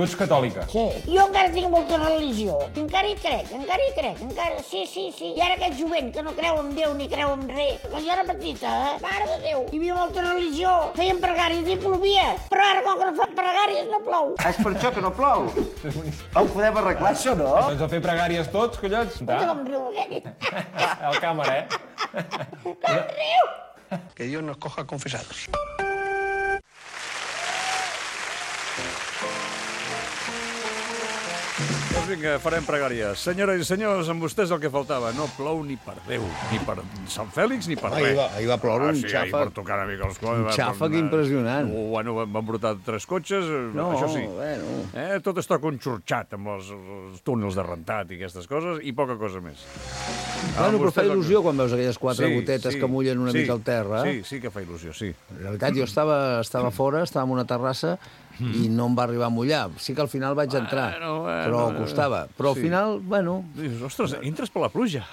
Tu ets catòlica. Sí. Jo encara tinc molta religió. Encara hi crec. Sí. I ara aquest jovent que no creu en Déu ni creu en res. Quan jo era petita, mare de Déu, hi havia molta religió. Feien pregàries i plovia. Però ara, com que no fan pregàries, no plou. És per això que no plou. Ho podem arreglar, això, no? Doncs a fer pregàries tots, collons. Com riu aquest. El càmera, Com riu. Que Dios nos coja confesados. Doncs vinga, farem pregàries. Senyores i senyors, amb vostès el que faltava. No plou ni per Déu, ni per Sant Fèlix, ni per res. Ahir va ploure un Sí, ahir xàfec. per tocar una mica els cols. Un xàfec impressionant. Bueno, van brotar 3 cotxes, això sí. Bueno. Tot està conxorxat amb els túnels de rentat i aquestes coses, i poca cosa més. Bueno, però fa il·lusió quan veus aquelles 4 gotetes que mullen una mica al terra. Sí que fa il·lusió, sí. La veritat, jo estava fora, estava en una terrassa, i no em va arribar a mullar. Sí que al final vaig entrar, però costava. Però al final, bueno... Dius, ostres, entres per la pluja.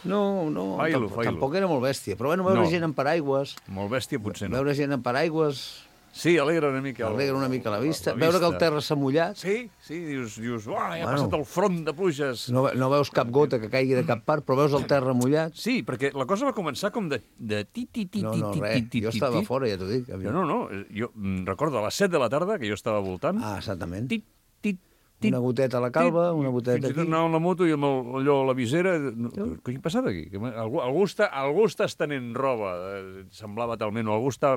No, tampoc era molt bèstia. Però bueno, veure gent amb paraigües... Molt bèstia potser no. Veure gent amb paraigües... Sí, alegra una mica. Alegra una mica la vista. Veure que el terra s'ha mullat... Sí, dius, ja ha passat el front de pluges. No veus cap gota que caigui de cap part, però veus el terra mullat. Sí, perquè la cosa va començar com de ti-ti-ti-ti-ti-ti-ti. No, res. Jo estava fora, ja t'ho dic. No. Jo recordo a les 7 de la tarda, que jo estava voltant. Ah, exactament. Tit. Una goteta a la calva, una goteta aquí. Fins i tot anava amb la moto i amb allò a la visera... Què ha passat aquí? Algú està estenent roba. Semblava talment... O algú està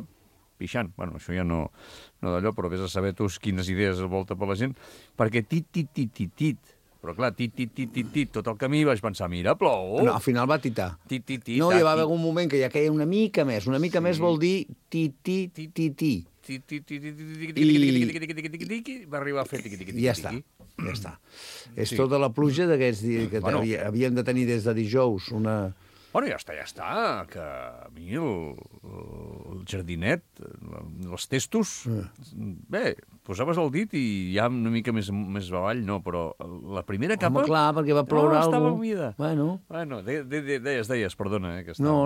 pixant. Bueno, això ja no d'allò, però vés a saber tu quines idees volta per la gent. Perquè tit. Però clar, tit, tot el camí vaig pensar, mira, plou. No, al final va titar. Tit. No, hi va haver un moment que ja queia una mica més. Una mica més vol dir ti. Va arribar a fer tiqui-tiqui. Ja està. És tota la pluja d'aquests dies que havíem de tenir des de dijous una... Bueno, ja està, que a mi el jardinet, els testos, bé, posaves el dit i ja una mica més avall, no, però la primera capa... Home, clar, perquè va ploure alguna cosa. Estava humida. Bueno, deies, perdona, que no.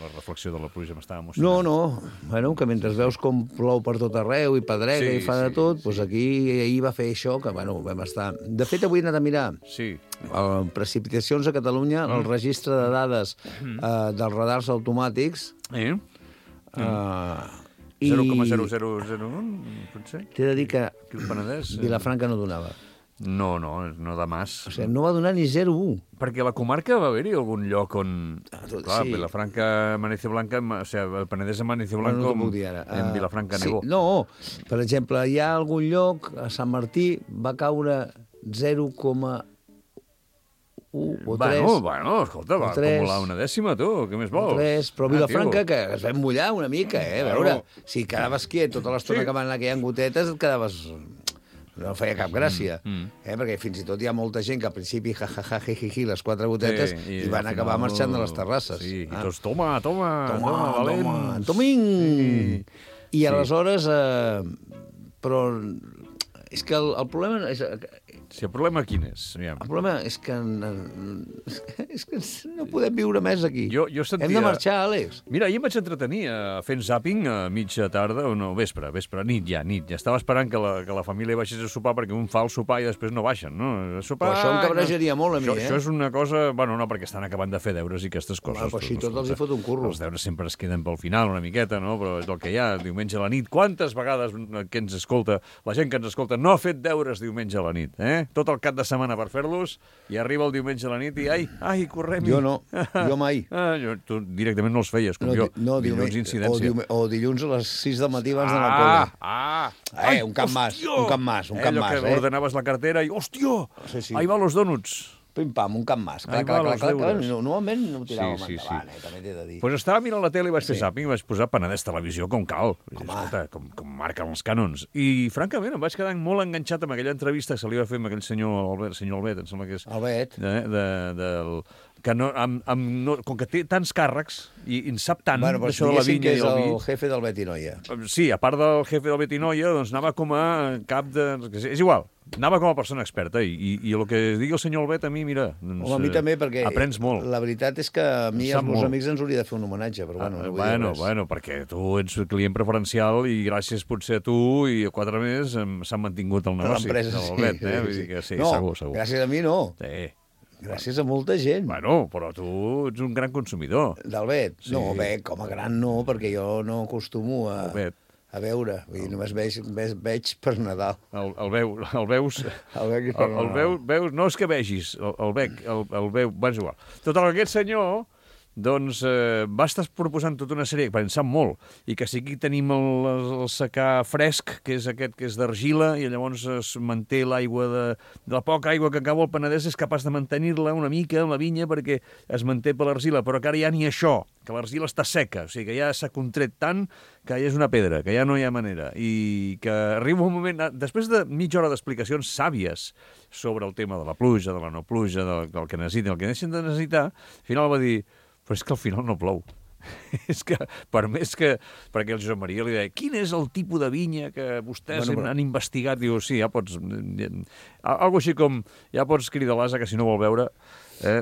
La reflexió de la pluja m'estava emocionant. No, bueno, que mentre veus com plou per tot arreu i pedrega i fa de tot, doncs aquí ahir va fer això, que, bueno, vam estar... De fet, avui he anat a mirar precipitacions a Catalunya, el registre de dades dels radars automàtics. 0,0001, potser? T'he de dir que Penedès, Vilafranca no donava. No de mas. O sigui, no va donar ni 0,1. Perquè a la comarca va haver-hi algun lloc on... Clar, sí. Vilafranca, Amanece Blanca, o sigui, el Penedès Amanece Blanco, no dir ara. En Vilafranca nevó. Sí, no, per exemple, hi ha algun lloc, a Sant Martí, va caure 0,1 o 3. Bueno, escolta, va acumular una dècima, tu, què més vols? 3, però Vilafranca, que es vam mullar una mica, a veure, si quedaves quiet tota l'estona que van anar aquelles gotetes, et quedaves... No feia cap gràcia, perquè fins i tot hi ha molta gent que al principi jiji, les 4 gotetes, i van acabar marxant de les terrasses. Sí, i tots, toma, valents. Toming! I aleshores... Però és que el problema... Sí, el problema quin és? El problema és que no podem viure més aquí. Jo sentia... Hem de marxar, Àlex. Mira, ahir em vaig entretenir fent zàping a mitja tarda, o no, vespre, nit ja. Estava esperant que la família baixés a sopar, perquè un fa el sopar i després no baixen, no? Però això em cabrejaria molt a mi, Això és una cosa... Bueno, no, perquè estan acabant de fer deures i aquestes coses. Però així tot els hi fot un curro. Els deures sempre es queden pel final una miqueta, no? Però és el que hi ha, diumenge a la nit. Quantes vegades que ens escolta, la gent que ens escolta, no ha fet deures diumenge a la nit, Tot el cap de setmana per fer-los, i arriba el diumenge a la nit i ai, correm-hi. Jo no, jo mai. Tu directament no els feies, com jo. Dilluns incidència. O dilluns a les 6 del matí abans d'anar al col·le. Un camp mas. Allò que ordenaves la cartera i, hòstia, ahí va los donuts. Pim-pam, un camp mas. Clar, normalment no ho tiràvem endavant, també t'he de dir. Doncs estava mirant la tele i vaig fer zàping i vaig posar Penedès Televisió com cal. Escolta, com marquen els cànons. I, francament, em vaig quedar molt enganxat amb aquella entrevista que se li va fer amb aquell senyor Albet, em sembla que és... Albet. que com que té tants càrrecs i en sap tant Bueno, però d'això de la diguéssim vinya que i és el vi... el jefe del Betinoia. Sí, a part del jefe del Betinoia, doncs anava com a cap de... És igual, anava com a persona experta i el que digui el senyor Albet a mi, mira, doncs, Home, a mi també, perquè aprens molt. la veritat és que a mi i Sap als meus molt. amics ens hauria de fer un homenatge, però bueno, no vull dir res. Bueno, perquè tu ets client preferencial i gràcies potser a tu i a 4 més s'han mantingut el negoci. L'empresa, de l'Albet, Vull dir que sí, no, segur. gràcies a mi no. Sí. Gràcies a molta gent. Bueno, però tu ets un gran consumidor. Del Bet? Sí. No, bec, com a gran no, perquè jo no acostumo a Bet. veure. Vull dir, només veig per Nadal. El veus... El bec i per Nadal. Veus, no és que vegis, el veu... Bueno, és igual. Total, aquest senyor doncs va estar proposant tota una sèrie, perquè en sap molt, i que sí que tenim el secà fresc, que és aquest que és d'argila, i llavors es manté l'aigua de la poca aigua que cau al Penedès, és capaç de mantenir-la una mica en la vinya perquè es manté per l'argila, però que ara ja ni això, que l'argila està seca, o sigui que ja s'ha contret tant que ja és una pedra, que ja no hi ha manera, i que arriba un moment, després de mitja hora d'explicacions sàvies sobre el tema de la pluja, de la no pluja, del que necessiten, el que deixen de necessitar, al final va dir, però és que al final no plou. És que, per més que... Perquè el Josep Maria li deia, quin és el tipus de vinya que vostès han investigat? Diu, sí, ja pots... Algo així com, ja pots cridar l'asa, que si no vol veure...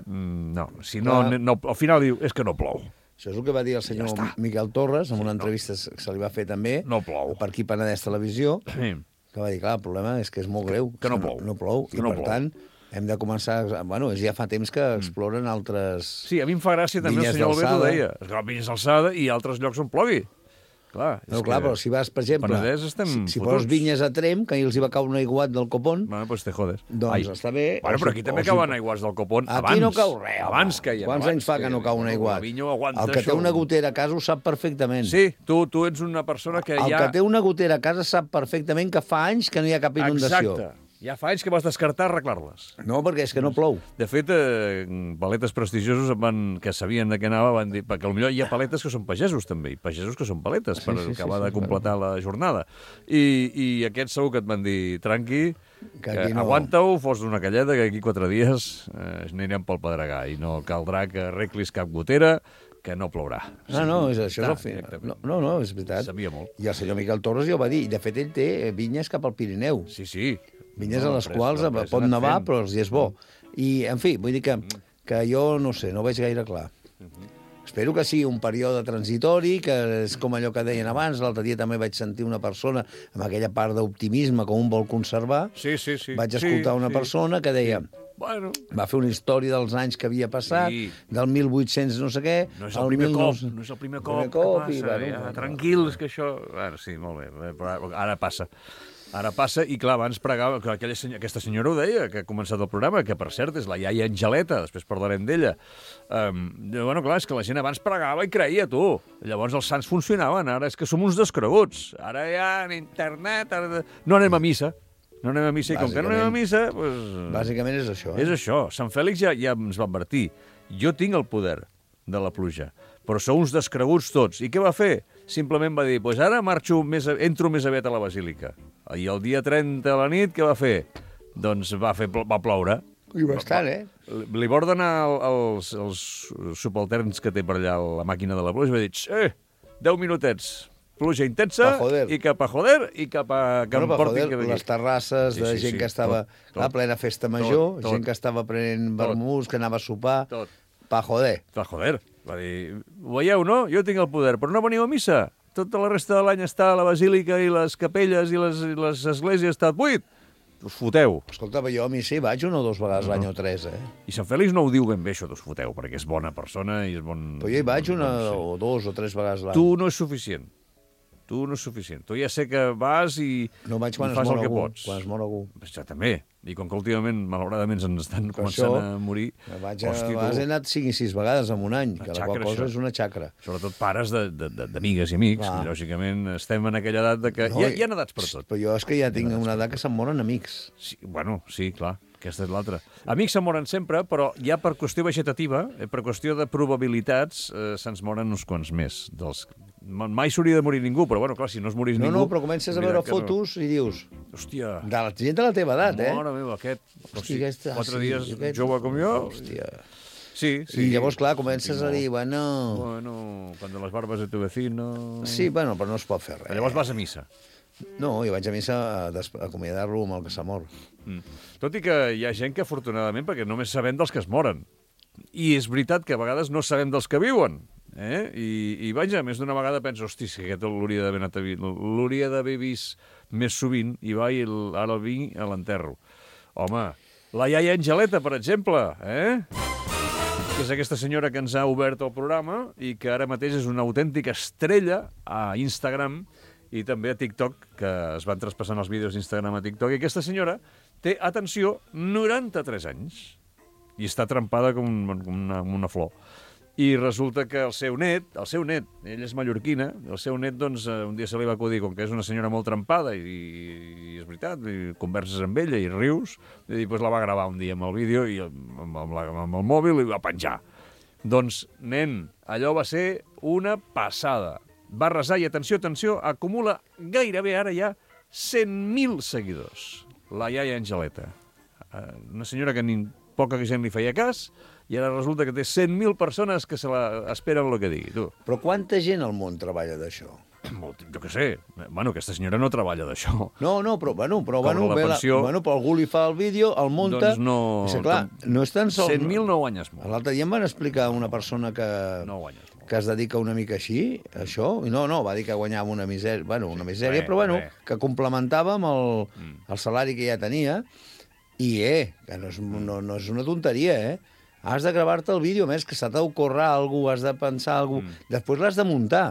No, si no, al final diu, és que no plou. Això és el que va dir el senyor Miquel Torres en una entrevista que se li va fer també No plou. per aquí Penedès Televisió, Sí. que va dir, clar, el problema és que és molt greu. Que no plou. No plou, Que i no per plou. tant hem de començar... Bueno, ja fa temps que exploren altres... Sí, a mi em fa gràcia també Vinyes el senyor Albet ho d'alçada. deia. Esclar, vinyes d'alçada i altres llocs on plogui. Clar, No, clar, però si vas, per exemple, Penedès estem si fotuts. poses vinyes a Trem, que ahir els hi va caure un aiguat del copón, Bueno, pues te jodes. doncs està bé. Bueno, però aquí també cauen aiguats del copón Aquí abans. no cau res, home. Abans caien. Quants anys fa que no cau un aiguat? La vinya ho aguanta, El que té això. una gotera a casa ho sap perfectament. Sí, tu ets una persona que El ja... que té una gotera a casa sap perfectament que fa anys que no hi ha cap inundació. Exacte. Ja fa anys que vas descartar arreglar-les. No, perquè és que no plou. De fet, paletes prestigiosos que sabien de què anava van dir, perquè potser hi ha paletes que són pagesos també, i pagesos que són paletes per acabar de completar la jornada. I aquests segur que et van dir, tranqui, Que aquí no. aguanta-ho, fos una calleta, que aquí 4 dies anirem pel Pedregà i no caldrà que arreglis cap gotera, que no plourà. No, això és el final. Directament. No, és veritat. Sabia molt. I el senyor Miquel Torres ja ho va dir. I, de fet, ell té vinyes cap al Pirineu. Sí. Vinyes a les quals pot nevar, però els hi és bo. I, en fi, vull dir que jo, no sé, no ho veig gaire clar. Espero que sigui un període transitori, que és com allò que deien abans. L'altre dia també vaig sentir una persona amb aquella part d'optimisme que un vol conservar. Sí. Vaig escoltar una persona que deia... Bueno, Va fer una història dels anys que havia passat, del 1800 no sé què... no és el primer cop que passa. I, bueno, tranquils, que això... Bueno, sí, molt bé, però ara passa. Ara passa, i clar, abans pregava, que aquesta senyora ho deia, que ha començat el programa, que per cert és la iaia Angeleta, després parlarem d'ella. Bueno, clar, és que la gent abans pregava i creia, tu. Llavors els sants funcionaven, ara és que som uns descreguts. Ara ja en internet... No anem a missa. No anem a missa, i com que no anem a missa... Doncs... Bàsicament és això. És això. Sant Fèlix ja ens va advertir. Jo tinc el poder de la pluja, però sou uns descreguts tots. I què va fer? Simplement va dir, pues ara entro més aviat a la basílica. I el dia 30 a la nit, què va fer? Doncs va ploure. I bastant, Li va ordenar als subalterns que té per allà la màquina de la pluja, va dir, 10 minutets, pluja intensa, i cap a joder, i cap a... les terrasses de gent que estava a plena festa major, gent que estava prenent vermús, que anava a sopar, pa joder. Pa joder. Va dir, ho veieu, no? Jo tinc el poder, però no veniu a missa. Tota la resta de l'any està la basílica i les capelles i les esglésies està buit. Us foteu. Escolta, jo a missa hi vaig 1 o 2 vegades l'any o 3, I Sant Fèlix no ho diu ben bé, això d'us foteu, perquè és bona persona i és bon... Però jo hi vaig 1 o 2 o 3 vegades l'any. Tu no és suficient. Tu ja sé que vas i no vaig quan fas el que pots. Quan es mor algú. Això també. I com que últimament, malauradament, ens estan començant a morir... He anat 5 i 6 vegades en un any, que la qual cosa és una xacra. Sobretot pares d'amigues i amics. I, lògicament, estem en aquella edat de que... Hi ha edats per tot. Però jo és que ja tinc una edat que se'm moren amics. Sí, bueno, sí, clar. Aquesta és l'altra. Amics se'n moren sempre, però ja per qüestió vegetativa, per qüestió de probabilitats, se'ns moren uns quants més. Mai s'hauria de morir ningú, però bueno, clar, si no es morís ningú... No, però comences a veure fotos i dius... Hòstia... De la gent de la teva edat, Mare meva, aquest... Hòstia, 4 dies jove com jo... Hòstia... Sí, sí. I llavors, clar, comences a dir, bueno... Bueno, cuando las barbas de tu vecino... Sí, bueno, però no es pot fer res. Però llavors vas a missa. No, jo vaig a missa a acomiadar-lo amb el que s'ha mort. Tot i que hi ha gent que, afortunadament, perquè només sabem dels que es moren. I és veritat que a vegades no sabem dels que viuen. I vaja, més d'una vegada penso, hosti, si aquest l'hauria d'haver vist més sovint, i va, i ara el vinc a l'enterro. Home, la iaia Angeleta, per exemple, que és aquesta senyora que ens ha obert el programa i que ara mateix és una autèntica estrella a Instagram i també a TikTok, que es van traspassant els vídeos d'Instagram a TikTok, i aquesta senyora té, atenció, 93 anys i està trempada com una flor. I resulta que el seu net, ella és mallorquina, el seu net, doncs, un dia se li va acudir, com que és una senyora molt trempada, i és veritat, i converses amb ella i rius, i doncs la va gravar un dia amb el vídeo i amb el mòbil i va penjar. Doncs, nen, allò va ser una passada. Va resar i, atenció, acumula gairebé ara ja 100.000 seguidors. La iaia Angeleta. Una senyora que ni poca gent li feia cas, i ara resulta que té 100.000 persones que se la esperen el que digui, tu. Però quanta gent al món treballa d'això? Jo què sé. Bueno, aquesta senyora no treballa d'això. No, però la pensió... però algú li fa el vídeo, el munta... Doncs no... És clar, no és tan sols... 100.000 no guanyes molt. L'altre dia em van explicar una persona que... No guanyes molt. Que es dedica una mica així, això, i no, va dir que guanyava una misèria, però que complementava amb el salari que ja tenia, i que no és una tonteria, Has de gravar-te el vídeo, més, que s'ha d'ocórrer alguna cosa, has de pensar alguna cosa, després l'has de muntar.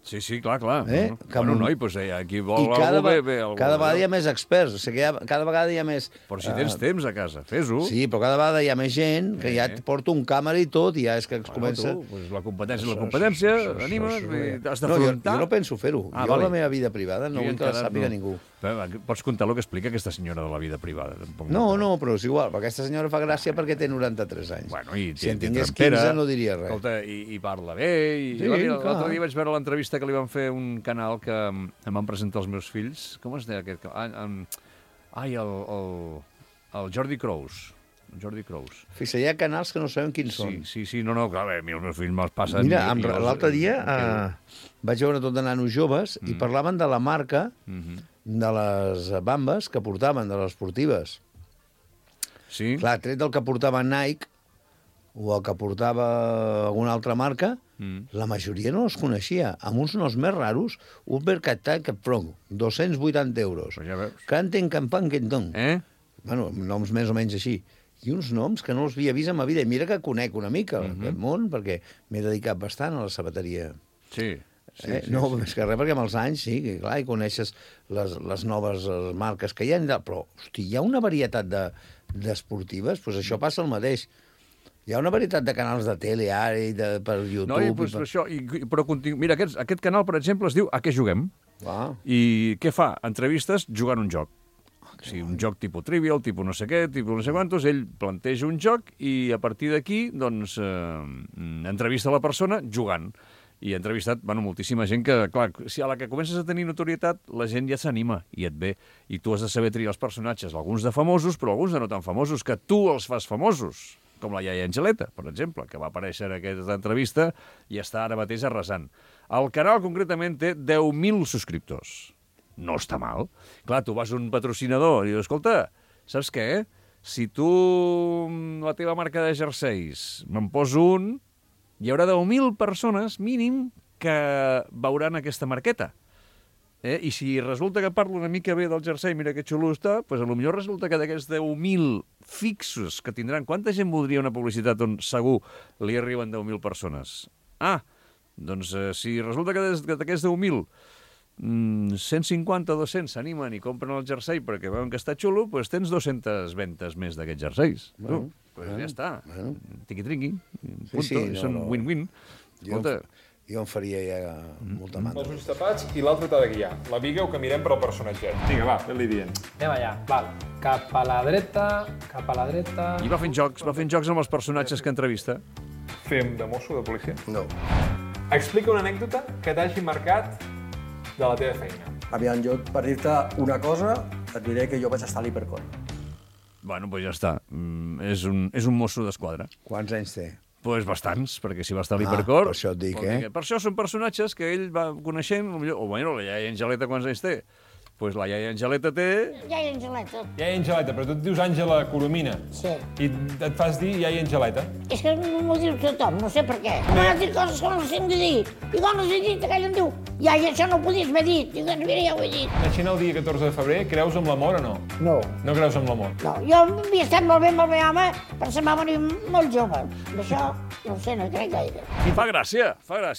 Sí, clar. Bueno, noi, doncs aquí vol algú bé. Cada vegada hi ha més experts, o sigui, cada vegada hi ha més... Però si tens temps a casa, fes-ho. Sí, però cada vegada hi ha més gent que ja et porta un càmera i tot, i ja és que comença... La competència, animes, has d'afrontar... Jo no penso fer-ho. Jo la meva vida privada no vull que la sàpiga ningú. Pots contar el que explica aquesta senyora de la vida privada. No, però és igual, perquè aquesta senyora fa gràcia perquè té 93 anys. Bueno, i si en tingués 15 no diria res. Escolta, i parla bé. L'altre dia vaig veure l'entrevista que li van fer un canal que em van presentar els meus fills. Com es deia aquest canal? El Jordi Crous. Jordi Crous. Fixa, hi ha canals que no sabem quins són. Sí, clar, els meus fills me'ls passen... Mira, l'altre dia vaig veure tot de nanos joves i parlaven de la marca de les bambes que portaven, de les esportives. Sí? Clar, tret del que portava Nike o el que portava alguna altra marca, la majoria no els coneixia. Amb uns noms més raros, Ubercatat Pro, 280 euros. Ja veus. Canten Campan Quentón. Bueno, noms més o menys així. I uns noms que no els havia vist en ma vida. I mira que conec una mica aquest món, perquè m'he dedicat bastant a la sabateria. Sí. No, més que res, perquè amb els anys, sí, que clar, hi coneixes les noves marques que hi ha, però, hosti, hi ha una varietat d'esportives, doncs això passa el mateix. Hi ha una varietat de canals de tele ara i per YouTube... No, doncs això, però mira, aquest canal, per exemple, es diu A què juguem? I què fa? Entrevistes jugant un joc. O sigui, un joc tipus trivial, tipus no sé què, tipus no sé quantos, ell planteja un joc i a partir d'aquí, doncs, entrevista la persona jugant. I ha entrevistat, moltíssima gent que, clar, si a la que comences a tenir notorietat, la gent ja s'anima i et ve. I tu has de saber triar els personatges, alguns de famosos, però alguns de no tan famosos, que tu els fas famosos. Com la iaia Angeleta, per exemple, que va aparèixer en aquesta entrevista i està ara mateix arrasant. El canal, concretament, té 10.000 subscriptors. No està mal. Clar, tu vas a un patrocinador i dius, escolta, saps què? Si tu, la teva marca de jerseis, me'n poso un, hi haurà 10.000 persones, mínim, que veuran aquesta marqueta. I si resulta que parlo una mica bé del jersei, mira que xulo està, doncs potser resulta que d'aquests 10.000 fixos que tindran, quanta gent voldria una publicitat on segur li arriben 10.000 persones? Doncs si resulta que d'aquests 10.000, 150 o 200 s'animen i compren el jersei perquè veuen que està xulo, doncs tens 200 ventes més d'aquests jerseis. Ja està. Tiqui-triqui. Són win-win. Jo em faria ja molta mandra. Els ulls tapats i l'altre t'ha de guiar. La viga o camirem per al personatget. Vinga, va, fes-li dient. Anem allà, val. Cap a la dreta, cap a la dreta... I va fent jocs amb els personatges que entrevista. Fem de mosso de policia? No. Explica una anècdota que t'hagi marcat de la teva feina. Aviam, jo per dir-te una cosa et diré que jo vaig estar a l'Hipercon. Bueno, doncs ja està. És un mosso d'esquadra. Quants anys té? Pues bastants, perquè si va estar a l'Hipercor... per això et dic, Per això són personatges que ell va coneixent, o bueno, la iaia Angeleta quants anys té? Pues la iaia Angeleta té... Iaia Angeleta. Iaia Angeleta, però tu et dius Àngela Coromina. Sí. I et fas dir iaia Angeleta. És que no m'ho diu tothom, no sé per què. M'has dit coses que no les tinc de dir. I quan les he dit, aquell em diu, iaia, això no ho podies haver dit. Dic, doncs mira, ja ho he dit. Naixent el dia 14 de febrer, creus en l'amor o no? No. No creus en l'amor? No, jo havia estat molt bé amb el meu home, però se'm va venir molt jove. D'això, no ho sé, no hi crec gaire. I fa gràcia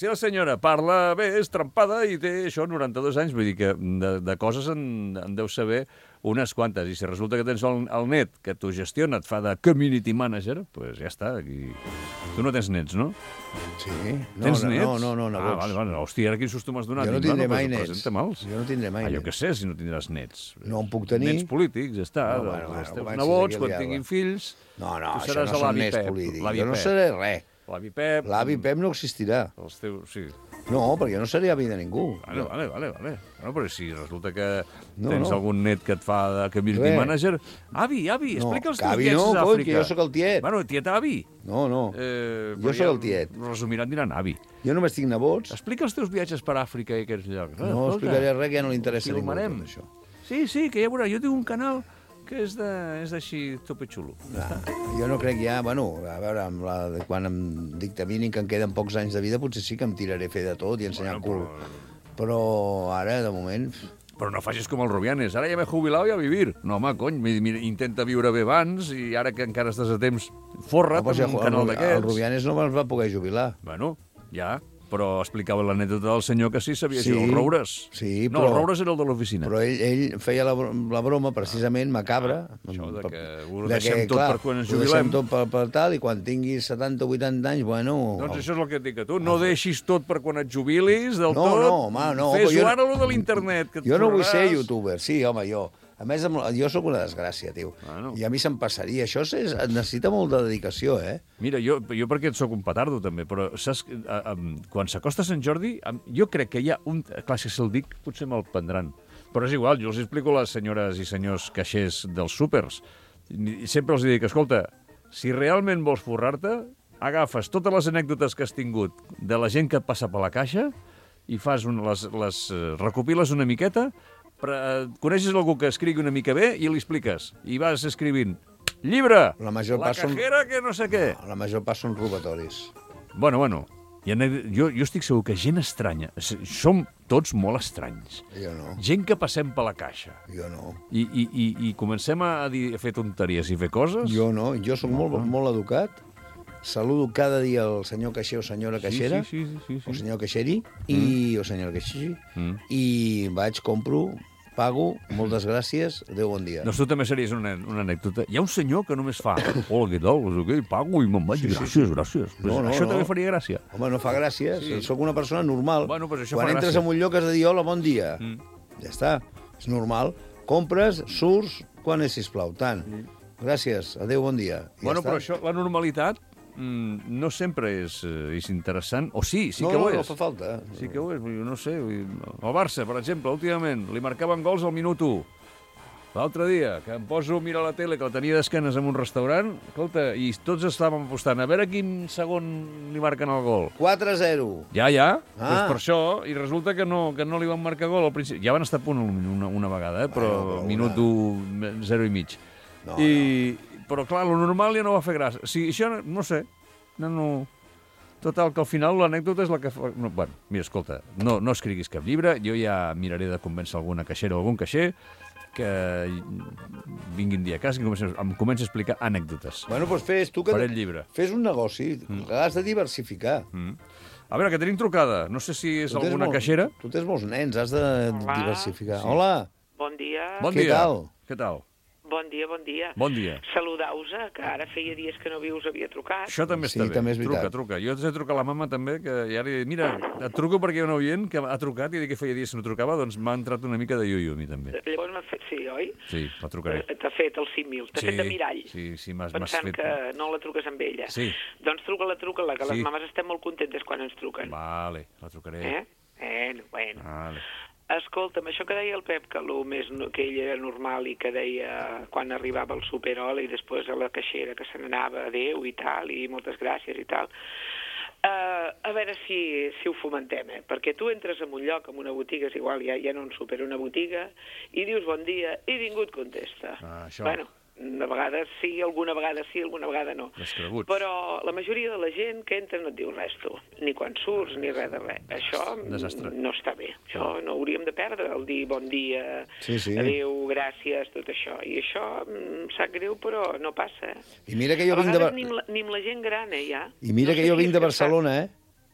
la senyora. Parla bé, és trempada i té això, 92 anys. Vull dir que de coses en deu saber unes quantes. I si resulta que tens el net que t'ho gestiona, et fa de community manager, doncs ja està. Aquí... Tu no tens nets, no? Sí. Tens nets? No, Ah, vale. Hòstia, ara quin susto m'has donat. Jo no tindré mai nets. Presenta-me'ls. Jo no tindré mai Jo nets. què sé, si no tindràs nets. No en puc tenir. Nets polítics, ja està. No, bueno, Els teus comencis nebots, aquí a quan liar-la. tinguin fills... No, tu això seràs no són l'avi nets Pep. polítics. L'avi Jo no Pep. seré res. L'avi Pep... L'avi Pep no existirà. Els teus... Sí. No, perquè jo no seré avi de ningú. Vale. Bueno, però si resulta que No, tens no. algun net que et fa de community Res. manager... Avi, explica els que teus avi viatges no, a coi, Àfrica. que jo sóc el tiet. Bueno, tiet avi. No. Però sóc el tiet. Resumiran, diran avi. Jo només tinc nebots. Explica els teus viatges per Àfrica i aquests llocs. No explicaré res, que ja no li interessa a ningú filmarem. tot això. Sí, que ja veurà. Jo tinc un canal que és d'així tope xulo. Jo no crec ja... Bueno, a veure, quan em dictaminin que em queden pocs anys de vida, potser sí que em tiraré a fer de tot i ensenyar el cul. Però ara, de moment... Però no facis com el Rubianes. Ara ja m'he jubilat i a vivir. No, home, cony, mira, intenta viure bé abans i ara que encara estàs a temps, forra't amb un canal d'aquests. El Rubianes no es va poder jubilar. Bueno, ja, però explicava l'anècdota del senyor que sí sabia Sí, això, el Roures. sí, No, però- el Roures era el de l'oficina. Però ell feia la broma precisament macabra. Això de que ho deixem tot per quan ens ho deixem jubilem. tot per tal, i quan tinguis 70 o 80 anys, bueno... Doncs això és el que et dic a tu. No deixis tot per quan et jubilis del No, tot. no, home, no, però Fes-ho jo no- ara, allò de l'internet. Que et Jo no vull ser forraràs. youtuber, sí, home, jo. A més, jo sóc una desgràcia, tio. Bueno. I a mi se'm passaria. Això necessita molta dedicació, eh? Mira, jo perquè et sóc un petardo, també, però saps, quan s'acosta Sant Jordi, jo crec que hi ha un... Clar, si se'l dic, potser me'l prendran. Però és igual, jo els explico a les senyores i senyors caixers dels súpers. I sempre els dic, escolta, si realment vols forrar-te, agafes totes les anècdotes que has tingut de la gent que et passa per la caixa i fas recopiles una miqueta, coneixes algú que escrigui una mica bé i li expliques. I vas escrivint, llibre, La major la part són- cajera que no sé què. La major part són robatoris. Bueno. Jo estic segur que gent estranya, som tots molt estranys. Jo no, Gent que passem per la caixa jo no. i comencem a fer tonteries i fer coses. Jo no, jo sóc molt educat. Saludo cada dia el senyor caixer o senyora caixera, Sí. o senyor caixeri, o senyora caixeri, Mm. i vaig, compro, pago, moltes gràcies, adéu, bon dia. Doncs tu també series una anècdota. Hi ha un senyor que només fa hola, què tal, no sé què, pago i me'n vaig, gràcies. No, Això també no. faria gràcia. Home, no fa gràcies, Sí. sóc una persona normal. Bueno, pues això Quan fa entres gràcia. en un lloc has de dir hola, bon dia. Ja està, és normal. Compres, surts, quan és, sisplau, tant. Gràcies, adéu, bon dia. I Bueno, ja però està. això, la normalitat, no sempre és interessant. O sí que no, ho és. no fa falta. Sí que ho és, vull dir, no sé. El Barça, per exemple, últimament, li marcaven gols al minut 1. L'altre dia, que em poso a mirar la tele, que la tenia d'esquenes en un restaurant, escolta, i tots estàvem apostant a veure quin segon li marquen el gol. 4-0. Ja. Ah. Doncs per això, i resulta que no li van marcar gol al principi. Ja van estar a punt una vegada, però Bueno, minut 1, 0 i mig. No, Però, clar, lo normal ja no va fer gràcia. O sigui, això, no sé, no... Total, que al final l'anècdota és la que fa... No, bueno, mira, escolta, no escriguis cap llibre, jo ja miraré de convèncer alguna caixera o algun caixer que vinguin dia a casa i em comenci a explicar anècdotes. Bueno, doncs fes tu que... Faré el llibre. Fes un negoci, has de diversificar. A veure, que tenim trucada. No sé si és Tu tens alguna molts- caixera. Tu tens molts nens, has de diversificar. Hola, Bon dia. Bon Què dia. tal? Què tal? Bon dia, bon dia. Bon dia. Saludau-vos, que ara feia dies que no us havia trucat. Això també Sí, està bé. també és veritat. Truca. Jo t'he trucat a la mama també, que ja li he dit, mira, et truco perquè hi ha un oient que ha trucat i dit que feia dies que no trucava, doncs m'ha entrat una mica de iuiu a mi també. Llavors m'ha fet, sí, oi? Sí, la trucaré. T'ha fet el símil, t'ha fet de mirall. Sí, m'has Pensant fet... que no la truques amb ella. Sí. Doncs truca-la, que Sí. les mames estem molt contentes quan ens truquen. Vale, la trucaré. Bueno. Vale. Escolta'm, això que deia el Pep, que que ell era normal i que deia quan arribava al Superol i després a la caixera que se n'anava, adéu i tal, i moltes gràcies i tal. A veure si ho fomentem, perquè tu entres en un lloc, en una botiga, és igual, ja no en súper, una botiga, i dius bon dia, i ningú et contesta. Això. Bueno, de vegades sí, alguna vegada no. Descreguts. Però la majoria de la gent que entra no et diu res, tu. Ni quan surts, ni res de res. Això Desastre. no està bé. Això no hauríem de perdre, el dir bon dia, Sí. adéu, gràcies, tot això. I això em sap greu, però no passa, I mira que jo A vinc de... vegades ni amb la gent gran, ja. I mira No que sé jo si vinc és de que Barcelona,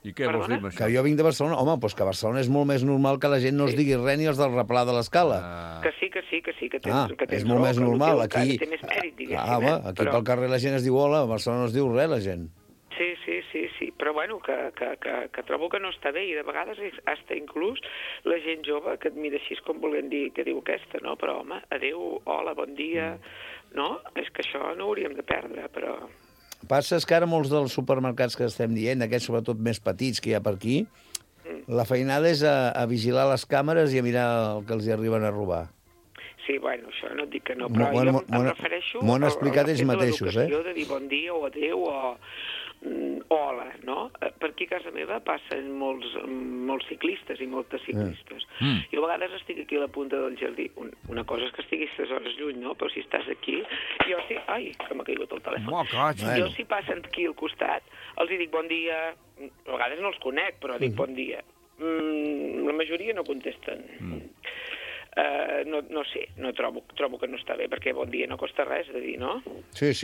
I què vols dir amb Que això? jo vinc de Barcelona. Home, doncs que a Barcelona és molt més normal que la gent no es digui res ni els del replà de l'escala. Que sí, que tens, Ah, que tens és molt raó, més que el normal. teu Aquí... encara té més mèrit, diguéssim. home, aquí Però- pel carrer la gent es diu hola, a Barcelona no es diu res, la gent. Sí, però bueno, que trobo que no està bé i de vegades hasta inclús la gent jove que et mira així com volent dir que diu aquesta, no? Però home, adéu, hola, bon dia, no? És que això no hauríem de perdre, però... Passa és que ara molts dels supermercats que estem dient, aquests sobretot més petits que hi ha per aquí, la feinada és a vigilar les càmeres i a mirar el que els hi arriben a robar. Sí, bueno, això no et dic que no, M'ho- però bueno, jo em refereixo... m'ho han a explicat la ells fet de mateixos, l'educació, de dir bon dia o adéu o hola, no? Per aquí a casa meva passen molts ciclistes i moltes ciclistes. Jo a vegades estic aquí a la punta del jardí. Una cosa és que estiguis 3 hores lluny, no? Però si estàs aquí, jo sí... Ai, que m'ha caigut el telèfon. Jo si passen aquí al costat, els hi dic bon dia... A vegades no els conec, però dic bon dia. La majoria no contesten. No sé, trobo que no està bé, perquè bon dia no costa res de dir, no? Sí.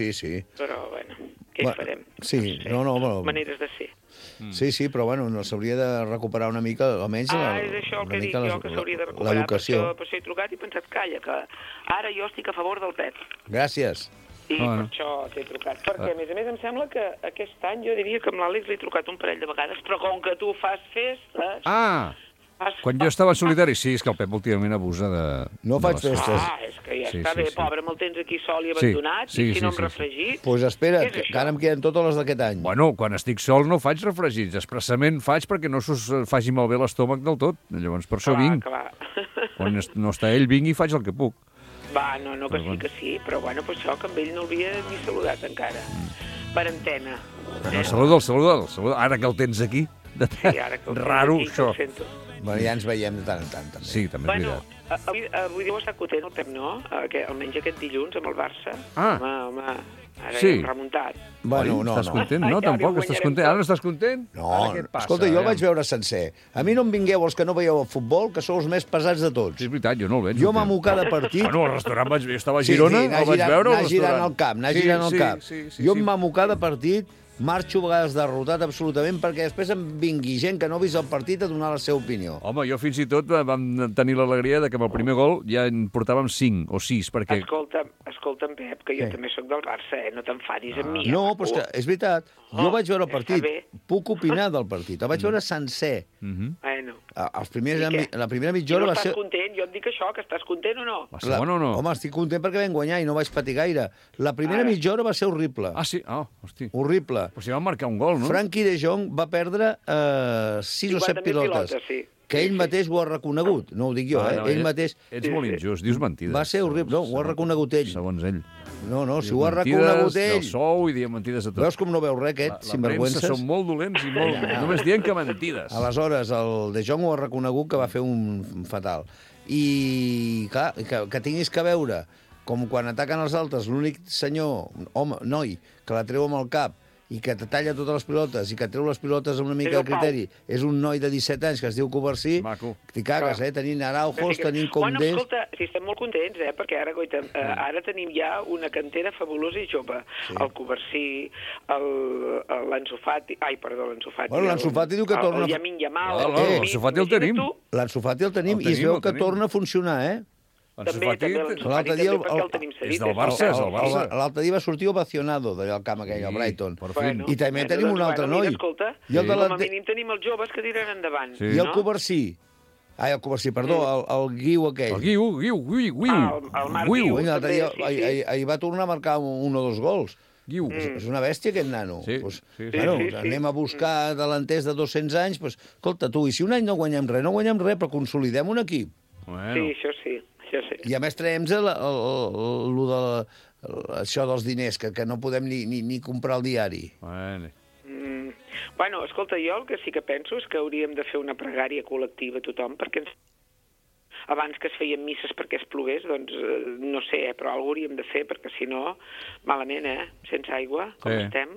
Però, bueno, què hi farem? Sí, No sé, no. maneres de ser. Sí, però bueno, no s'hauria de recuperar una mica, almenys És això el que dic jo, que s'hauria de recuperar. l'educació. Per això he trucat i he pensat, calla, que ara jo estic a favor del Pep. Gràcies. I per això t'he trucat. Perquè, a més, em sembla que aquest any jo diria que amb l'Àlex l'he trucat un parell de vegades, però com que tu fas festes... Quan jo estava en solitari, sí, és que el Pep últimament abusa de... No faig festes. És que ja està bé, pobre, me'l tens aquí sol i abandonat, sí, i si no sí. em refregit... Doncs pues espera, Què és que això? ara em queden totes les d'aquest any. Bueno, quan estic sol no faig refregits, expressament faig perquè no s'us faci malbé l'estómac del tot. Llavors, per això vinc. Clar. Quan no està ell, vinc i faig el que puc. Va, no, que sí, però bueno, per això que amb ell no l'havia ni saludat encara. Per antena. No, saluda'l. Ara que el tens aquí. Sí, ara que el tens Raro, aquí, que això. el sento. Bueno, ja ens veiem de tant en tant, també. Sí, també és Bueno, veritat. avui deu estar content el Pep, no? Almenys aquest dilluns amb el Barça. Ah. Home, ara Sí. ja hem remuntat. Bueno, Oi, no. estàs content? No, Ai, tampoc, ara estàs guanyarem content. Ara no estàs content? No, Ara què et passa? escolta, jo el Aviam. vaig veure sencer. A mi no em vingueu els que no veieu el futbol, que sou els més pesats de tots. Sí, és veritat, jo no el veig. Jo m'amo cada partit... Bueno, al restaurant vaig veure, estava a Girona, el vaig veure al anar girant restaurant. al camp, anar girant al camp. Sí, Jo em mamo cada partit, marxo a vegades derrotat absolutament, perquè després em vingui gent que no ha vist el partit a donar la seva opinió. Home, jo fins i tot vam tenir l'alegria de que amb el primer gol ja en portàvem 5 o 6, perquè... Escolta'm, Pep, que jo també sóc del Barça, no t'enfadis amb mi. No, però és que és veritat. Jo vaig veure el ja partit, està bé. puc opinar del partit. El vaig veure sencer. Bueno, Els primers, I què? la primera i mitja no hora va estàs ser... content? Jo et dic això, que estàs content o no? La segona o no? Home, estic content perquè vam guanyar i no vaig patir gaire. La primera mitja hora va ser horrible. Ah, sí? Ah, hosti. Horrible. Però si van marcar un gol, no? Frankie de Jong va perdre 6 o 7 50.000 pilotes. sí. Que ell mateix ho ha reconegut. No ho dic jo, no, ell mateix... Ets molt injust, dius mentides. Va ser horrible. No, ho ha reconegut ell. Segons ell. No, si Dius ho ha mentides reconegut del ell. sou i diem mentides de tot. Veus com no veu res, aquest, La premsa sinvergüences? són molt dolents i molt... Només dient que mentides. Aleshores, el De Jong ho ha reconegut que va fer un fatal. I, clar, que tinguis que veure com quan ataquen els altres, l'únic senyor, home, noi, que la treu amb el cap i que te talla totes les pilotes i que treu les pilotes amb una mica de criteri, és un noi de 17 anys que es diu Covarsí, Maco. t'hi cagues, tenint Araujos, tenint Bueno, Condés... escolta, si estem molt contents, perquè ara, goita, ara tenim ja una cantera fabulosa i jove. Sí. El Covarsí, l'Ansu Fati... Ai, perdó, l'Ansu Fati. Bueno, l'Ansu Fati diu que torna... El Yamin Yamal... L'Ansu Fati el tenim. L'Ansu Fati el tenim i es veu que torna a funcionar, Ansu També Fati l'Ansu l'altre Fati, dia també, perquè el tenim cedit. és del Barça, és del Barça. L'altre dia va sortir ovacionado d'allà al camp aquell, al Brighton. Per fi. I també tenim un altre noi. Escolta, I el de la- com a mínim tenim els joves que tiren endavant. Sí. I el Covarsí. Ai, el Covarsí, perdó, el Guiu aquell. El Guiu. El Marc Guiu. L'altre també, dia, sí. ahir va tornar a marcar un o dos gols. Guiu. És una bèstia, aquest nano. Sí, Pues, sí, bueno, sí. anem a buscar delanters de 200 anys, pues, escolta, tu, i si un any no guanyem res, però consolidem un equip. Bueno. Sí, això sí. I a més traiem això dels diners, que no podem ni comprar el diari. Bueno. Bueno, escolta, jo el que sí que penso és que hauríem de fer una pregària col·lectiva a tothom, perquè abans que es feien misses perquè es plogués, doncs no sé, però alguna hauríem de fer, perquè si no, malament, sense aigua, com estem.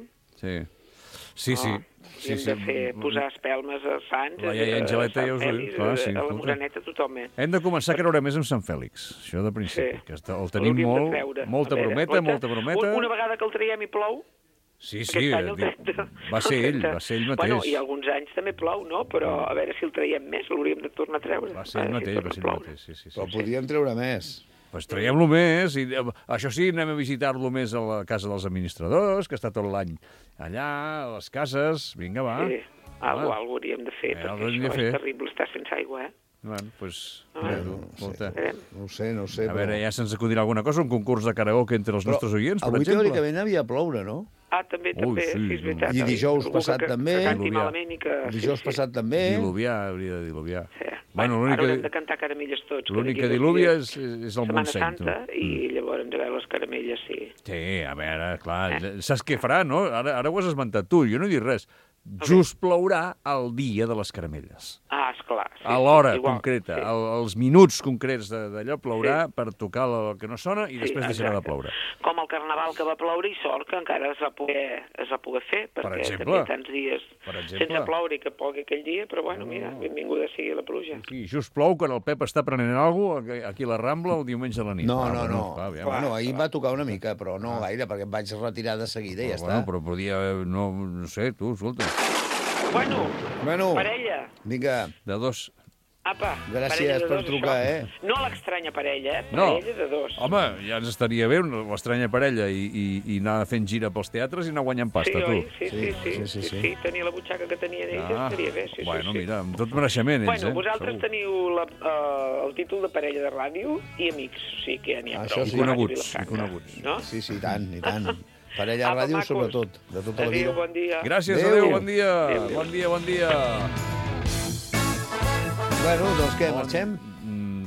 Sí. Sí. Hauríem de fer, posar espelmes a Sants, La iaia Angeleta ja us ho diu. Clar, sí, a la escolta. Moreneta, tothom, Hem de començar a creure més en Sant Fèlix, això de principi, que el tenim L'hauríem de treure. molta A veure, brometa. Una vegada que el traiem i plou, Sí, aquest any el 30. va ser ell mateix. Bueno, i alguns anys també plou, no? Però a veure si el traiem més, l'hauríem de tornar a treure. Va ser ell mateix, sí. Però podríem treure més. Pues traiem-lo més, i això sí, anem a visitar-lo més a la casa dels administradors, que està tot l'any allà, a les cases, vinga, va. Sí, alguna hauríem de fer, perquè això és terrible estar sense aigua, Bueno, doncs... No ho sé. A veure, ja se'ns acudirà alguna cosa, un concurs de karaoke entre els nostres oients, per exemple. Avui teòricament havia de ploure, no? També, sí, és veritat. I dijous passat també. Que canti malament i que... Dijous passat també. Diluviar, hauria de diluviar. Sí. Bueno, Ara haurem de cantar caramelles tots. L'únic que diluvia és el Montseny. Setmana Santa, i llavors a veure les caramelles, sí. Sí, a veure, clar, saps què farà, no? Ara ho has esmentat tu, jo no he dit res. Just plourà el dia de les caramelles. Esclar. Sí, a l'hora igual, concreta, sí. Els minuts concrets d'allò plourà per tocar el que no sona i després deixarà de ploure. Com el carnaval que va ploure i sort que encara es va poder fer, perquè també tants dies sense ploure i que plogui aquell dia, però bueno, mira, benvinguda sigui la pluja. Sí, just plou quan el Pep està prenent alguna cosa aquí a la Rambla el diumenge a la nit. No. Bueno, ahir va tocar una mica, però no gaire, perquè em vaig retirar de seguida i ja està. Però podia, no sé, tu, escolta. Bueno, parella. Vinga. De dos. Apa, gràcies per trucar, No l'estranya parella, No. Parella de dos. Home, ja ens estaria bé l'estranya parella i anar fent gira pels teatres i anar guanyant pasta, tu. Sí, tenia la butxaca que tenien ells, estaria bé, sí. Bueno, mira, amb tot mereixement, ells, vosaltres teniu el títol de parella de ràdio i amics, o sigui que ja n'hi ha prou. I coneguts. No? Sí, i tant. Parella de ràdio, sobretot, de tota la vida. Adéu, bon dia. Gràcies, adéu, bon dia. Bon dia. Bueno, doncs què, marxem?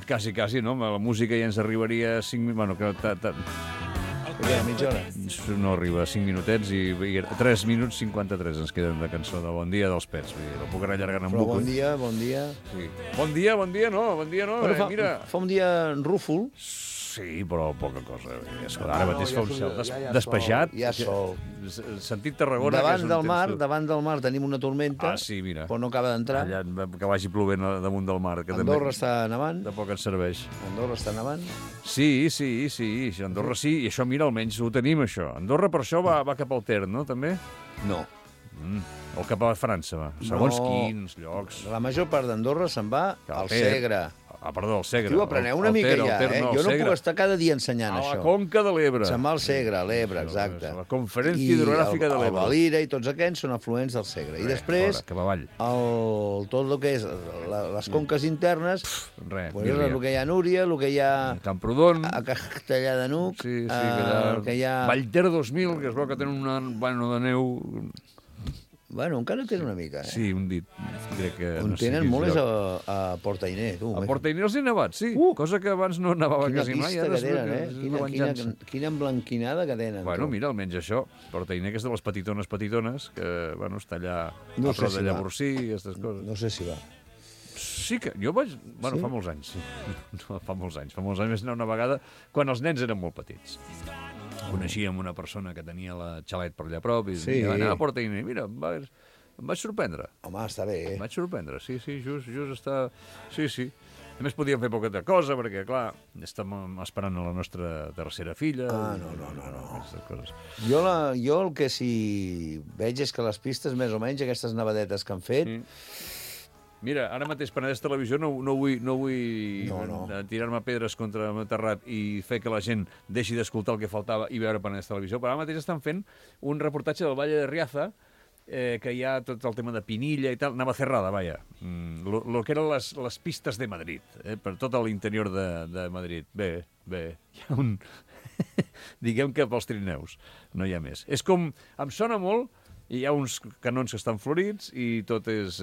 Quasi, no? La música ja ens arribaria a 5 minuts... Bueno, mitja hora. No arriba a 5 minutets i 3 minuts 53 ens queden de cançó de Bon dia dels Pets. La puc anar allargant en bucle. Però bon dia. Sí. Bon dia no. Mira. Fa un dia rúfol. Sí, però poca cosa. Ara mateix fa un cel despejat. Hi ha sol. Sentit Tarragona... Davant del mar tenim una tormenta, mira. però no acaba d'entrar. Allà, que vagi plovent damunt del mar. Que Andorra està nevant. De poc ens serveix. Andorra està nevant. Sí. Andorra sí, i això, mira, almenys ho tenim, això. Andorra per això va cap al Ter, no, també? No. O cap a França, va. Segons quins llocs. La major part d'Andorra se'n va al Segre. Perdó, al Segre. Tio, apreneu una mica ja, Jo no puc estar cada dia ensenyant això. A la Conca de l'Ebre. Se'n va al Segre, a l'Ebre, exacte. La Conferència Hidrogràfica de l'Ebre. I el Valira i tots aquests són afluents del Segre. I després, tot el que és les conques internes, el que hi ha a Núria, el que hi ha Camprodon, a Castellà de Nuc, el que hi ha... Vallter 2000, que es veu que tenen un vano de neu... Bueno, encara tenen una mica, Sí, un dit. Crec que... On tenen molt és a Portainer, tu. A Portainer els he nevat, sí. Cosa que abans no nevava quasi mai. Quina pista que tenen, Quina emblanquinada que tenen. Bueno, mira, almenys això. Portainer, que és de les petitones, que, bueno, està allà a prop de Llavorsí i aquestes coses. No sé si va. Sí que... Jo vaig... Bueno, fa molts anys, sí. Fa molts anys. Vaig anar una vegada quan els nens eren molt petits. Coneixíem una persona que tenia la xalet per allà a prop i va anar a Portainer. Mira, em vaig sorprendre. Home, està bé, Em vaig sorprendre, sí, just està... Sí. A més, podíem fer poqueta cosa, perquè, clar, estem esperant a la nostra tercera filla. No. Jo el que sí veig és que les pistes, més o menys, aquestes nevadetes que han fet... Mira, ara mateix Penedès Televisió no vull tirar-me pedres contra el meu terrat i fer que la gent deixi d'escoltar el que faltava i veure Penedès Televisió, però ara mateix estan fent un reportatge del Valle de Riaza, que hi ha tot el tema de Pinilla i tal, Navacerrada, vaja, lo que eren les pistes de Madrid, per tot l'interior de Madrid. Bé, hi ha diguem que pels trineus, no hi ha més. És com, em sona molt, hi ha uns canons que estan florits i tot és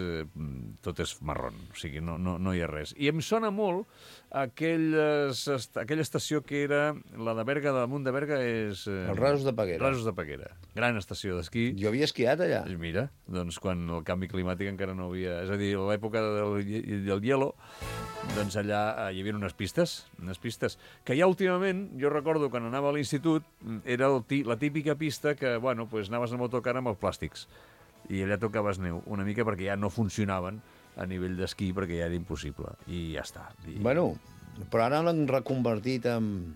marron, o sigui, no hi ha res. I em sona molt aquella estació que era la de Berga, damunt de Berga és... Els Rasos de Peguera. Rasos de Peguera, gran estació d'esquí. Jo havia esquiat allà. Mira, doncs quan el canvi climàtic encara no havia... És a dir, a l'època del hielo, doncs allà hi havia unes pistes, que ja últimament, jo recordo quan anava a l'institut, era la típica pista que, bueno, pues anaves amb autocar amb els plàstics, i allà tocaves neu, una mica perquè ja no funcionaven a nivell d'esquí, perquè ja era impossible, i ja està. Bueno, però ara l'han reconvertit en...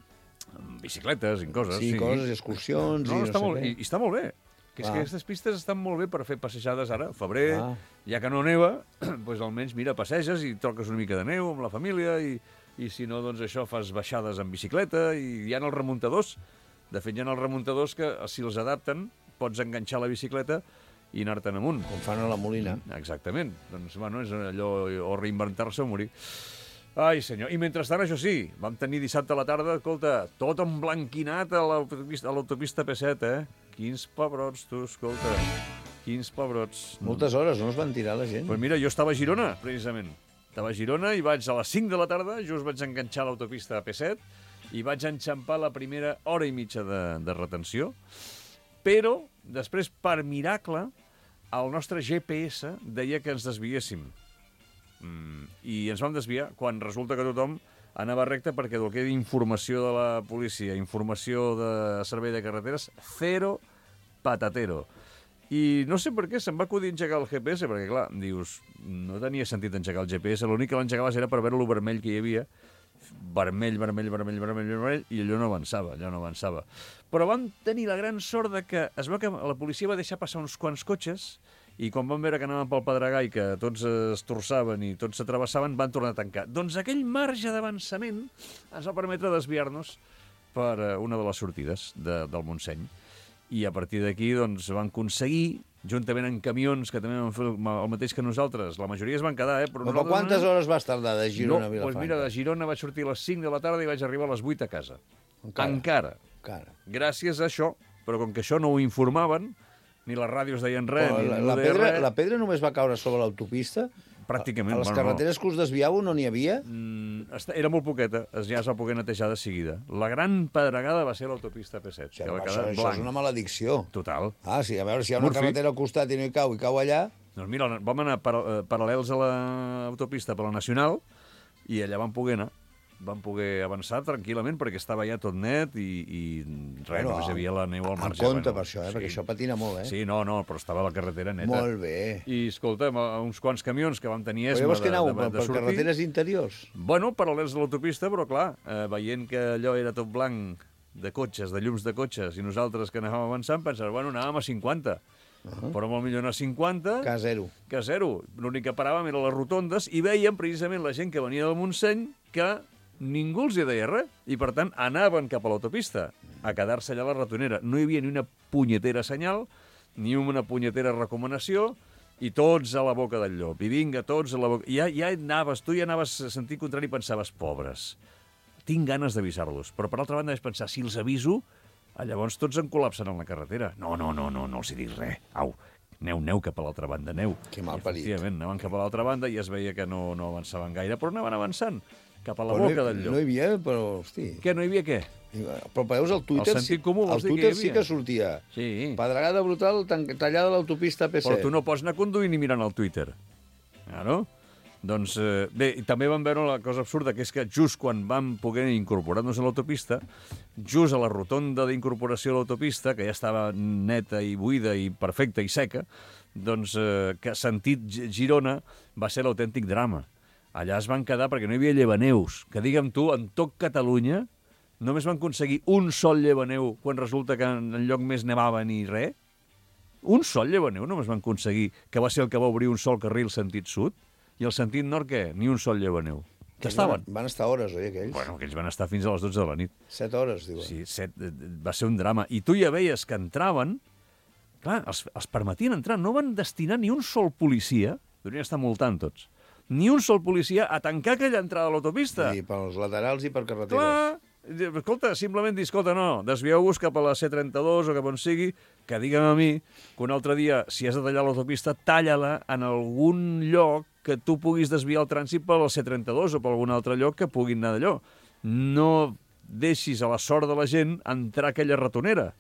bicicletes i coses. Sí, coses, excursions i no sé què. I està molt bé. Que és que aquestes pistes estan molt bé per fer passejades ara, febrer, ja que no neva, doncs almenys, mira, passeges i toques una mica de neu amb la família i si no, doncs això, fas baixades en bicicleta i hi ha els remuntadors. De fet, hi ha els remuntadors que, si els adapten, pots enganxar la bicicleta i anar-te'n amunt. Com fan a la Molina. Exactament. Doncs, bueno, és allò, o reinventar-se o morir. Ai, senyor. I mentrestant, això sí, vam tenir dissabte a la tarda, escolta, tot emblanquinat a l'autopista P7, Quins pebrots, tu, escolta. Quins pebrots. Moltes hores, no es van tirar la gent? Doncs mira, jo estava a Girona, precisament. Estava a Girona i vaig a les 5 de la tarda, just vaig enganxar l'autopista P7 i vaig enxampar la primera hora i mitja de retenció, però després, per miracle, el nostre GPS deia que ens desviéssim. I ens vam desviar quan resulta que tothom anava recte perquè del que era informació de la policia, informació de servei de carreteres, zero patatero. I no sé per què se'm va acudir engegar el GPS, perquè, clar, dius, no tenia sentit engegar el GPS, l'únic que l'engegaves era per veure lo vermell que hi havia, vermell, i allò no avançava. Però vam tenir la gran sort de que es veu que la policia va deixar passar uns quants cotxes i quan van veure que anaven pel Pedregà i que tots es torçaven i tots s'atravessaven, van tornar a tancar. Doncs aquell marge d'avançament ens va permetre desviar-nos per una de les sortides del Montseny. I a partir d'aquí doncs, van aconseguir, juntament amb camions que també van fer el mateix que nosaltres, la majoria es van quedar, però nosaltres... Quantes hores vas tardar de Girona a Vilafranca? Doncs mira, de Girona vaig sortir a les 5 de la tarda i vaig arribar a les 8 a casa. Encara. Gràcies a això, però com que això no ho informaven, ni les ràdios deien res, la pedra només va caure sobre l'autopista? Pràcticament. A les carreteres que us desviàveu no n'hi havia? Era molt poqueta, ja es va poder netejar de seguida. La gran pedregada va ser l'autopista P7. Això és una maledicció. Total. Sí, a veure, si hi ha una carretera al costat i no hi cau allà... Doncs mira, vam anar paral·lels a l'autopista per la Nacional i allà vam poder anar. Vam poder avançar tranquil·lament perquè estava ja tot net i res, només hi havia la neu al marge. En compte per això, perquè això patina molt, Sí, no, però estava la carretera neta. Molt bé. I, escolta, uns quants camions que vam tenir esma de sortir. Però llavors que aneu per carreteres interiors? Bueno, paral·lels de l'autopista, però clar, veient que allò era tot blanc de cotxes, de llums de cotxes, i nosaltres que anàvem avançant, pensàvem, bueno, anàvem a 50. Però molt millor anar a 50 que a zero. L'únic que paràvem eren les rotondes i veiem precisament la gent que venia del Montseny que ningú els hi deia res, i per tant anaven cap a l'autopista a quedar-se allà a la ratonera. No hi havia ni una punyetera senyal, ni una punyetera recomanació, i tots a la boca del llop. I vinga, tots a la boca... Tu ja anaves a sentir contrari i pensaves, pobres, tinc ganes d'avisar-los. Però per altra banda vaig pensar, si els aviso, llavors tots en col·lapsen en la carretera. No els hi dic res. Au, aneu cap a l'altra banda, aneu. Que mal parit. Efectivament, anaven cap a l'altra banda i es veia que no avançaven gaire, però anaven avançant cap a la boca del llop. No hi havia, però, hosti... Què, no hi havia què? Però veus, el Twitter, el sentit comú, el Twitter sí que sortia. Sí. Pedregada brutal tallada l'autopista P7. Però tu no pots anar conduint i mirant el Twitter. Claro. Doncs, bé, i també vam veure la cosa absurda, que és que just quan vam poder incorporar-nos a l'autopista, just a la rotonda d'incorporació a l'autopista, que ja estava neta i buida i perfecta i seca, doncs, que sentit Girona va ser l'autèntic drama. Allà es van quedar perquè no hi havia llevaneus, que digue'm tu, en tot Catalunya només van aconseguir un sol llevaneu quan resulta que en lloc més nevava ni res. Un sol llevaneu només van aconseguir, que va ser el que va obrir un sol carril sentit sud, i el sentit nord què? Ni un sol llevaneu. Que estaven? Van estar hores, oi, aquells? Bueno, aquells van estar fins a les 12 de la nit. 7 hores, diuen. Sí, 7, va ser un drama. I tu ja veies que entraven, clar, els permetien entrar, no van destinar ni un sol policia, deurien estar multant tots, ni un sol policia a tancar aquella entrada a l'autopista. Sí, pels laterals i per carreteres. Clar, Escolta, simplement dir, escolta, no, desvieu-vos cap a la C32 o cap on sigui, que digue'm a mi que un altre dia, si has de tallar l'autopista, talla-la en algun lloc que tu puguis desviar el trànsit per la C32 o per algun altre lloc que puguin anar d'allò. No deixis a la sort de la gent entrar a aquella ratonera.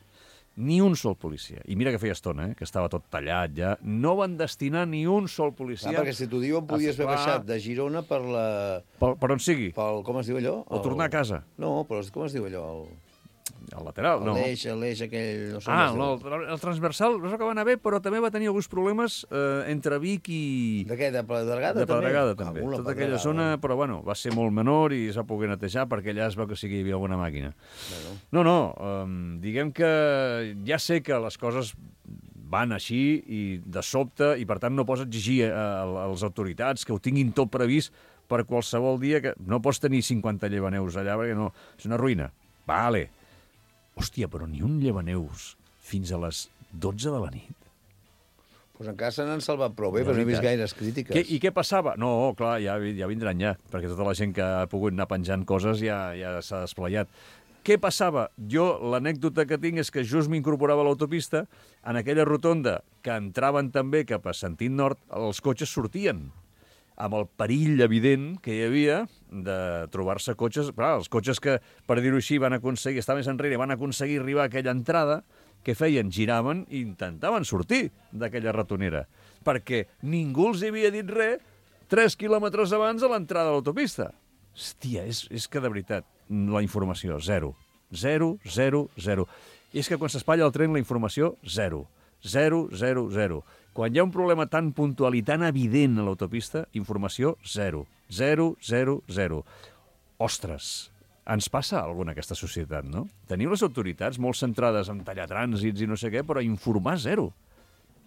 Ni un sol policia. I mira que feia estona, que estava tot tallat ja. No van destinar ni un sol policia. Perquè si t'ho diuen, podies haver baixat de Girona per la... Per on sigui. Com es diu allò? O tornar a casa. No, però com es diu allò? El lateral, no. L'eix aquell... No sé el transversal no que va anar bé, però també va tenir alguns problemes entre Vic i... De què? De Pedregada, també? De Pedregada, també. Tota aquella zona, però bueno, va ser molt menor i es va poder netejar perquè allà es veu que sí que hi havia alguna màquina. No, diguem que ja sé que les coses van així i de sobte, i per tant no pots exigir a les autoritats que ho tinguin tot previst per qualsevol dia, que no pots tenir 50 llevaneus allà perquè no, és una ruïna. Vale. Hòstia, però ni un llevaneus fins a les 12 de la nit. Doncs encara se n'han salvat prou bé, però no he vist gaires crítiques. I què passava? No, clar, ja vindran ja, perquè tota la gent que ha pogut anar penjant coses ja s'ha desplayat. Què passava? Jo, l'anècdota que tinc és que just m'incorporava a l'autopista, en aquella rotonda que entraven també cap a sentit nord, els cotxes sortien, amb el perill evident que hi havia de trobar-se cotxes... Clar, els cotxes que, per dir-ho així, van aconseguir, estar més enrere, van aconseguir arribar a aquella entrada, què feien? Giraven i intentaven sortir d'aquella ratonera, perquè ningú els havia dit res 3 quilòmetres abans de l'entrada de l'autopista. Hòstia, és que de veritat, la informació, zero. Zero, zero, zero. I és que quan s'espatlla el tren, la informació, zero. Zero, zero, zero. Quan hi ha un problema tan puntual i tan evident a l'autopista, informació, zero. Zero, zero, zero. Ostres, ens passa alguna aquesta societat, no? Tenim les autoritats molt centrades en tallar trànsits i no sé què, però informar zero.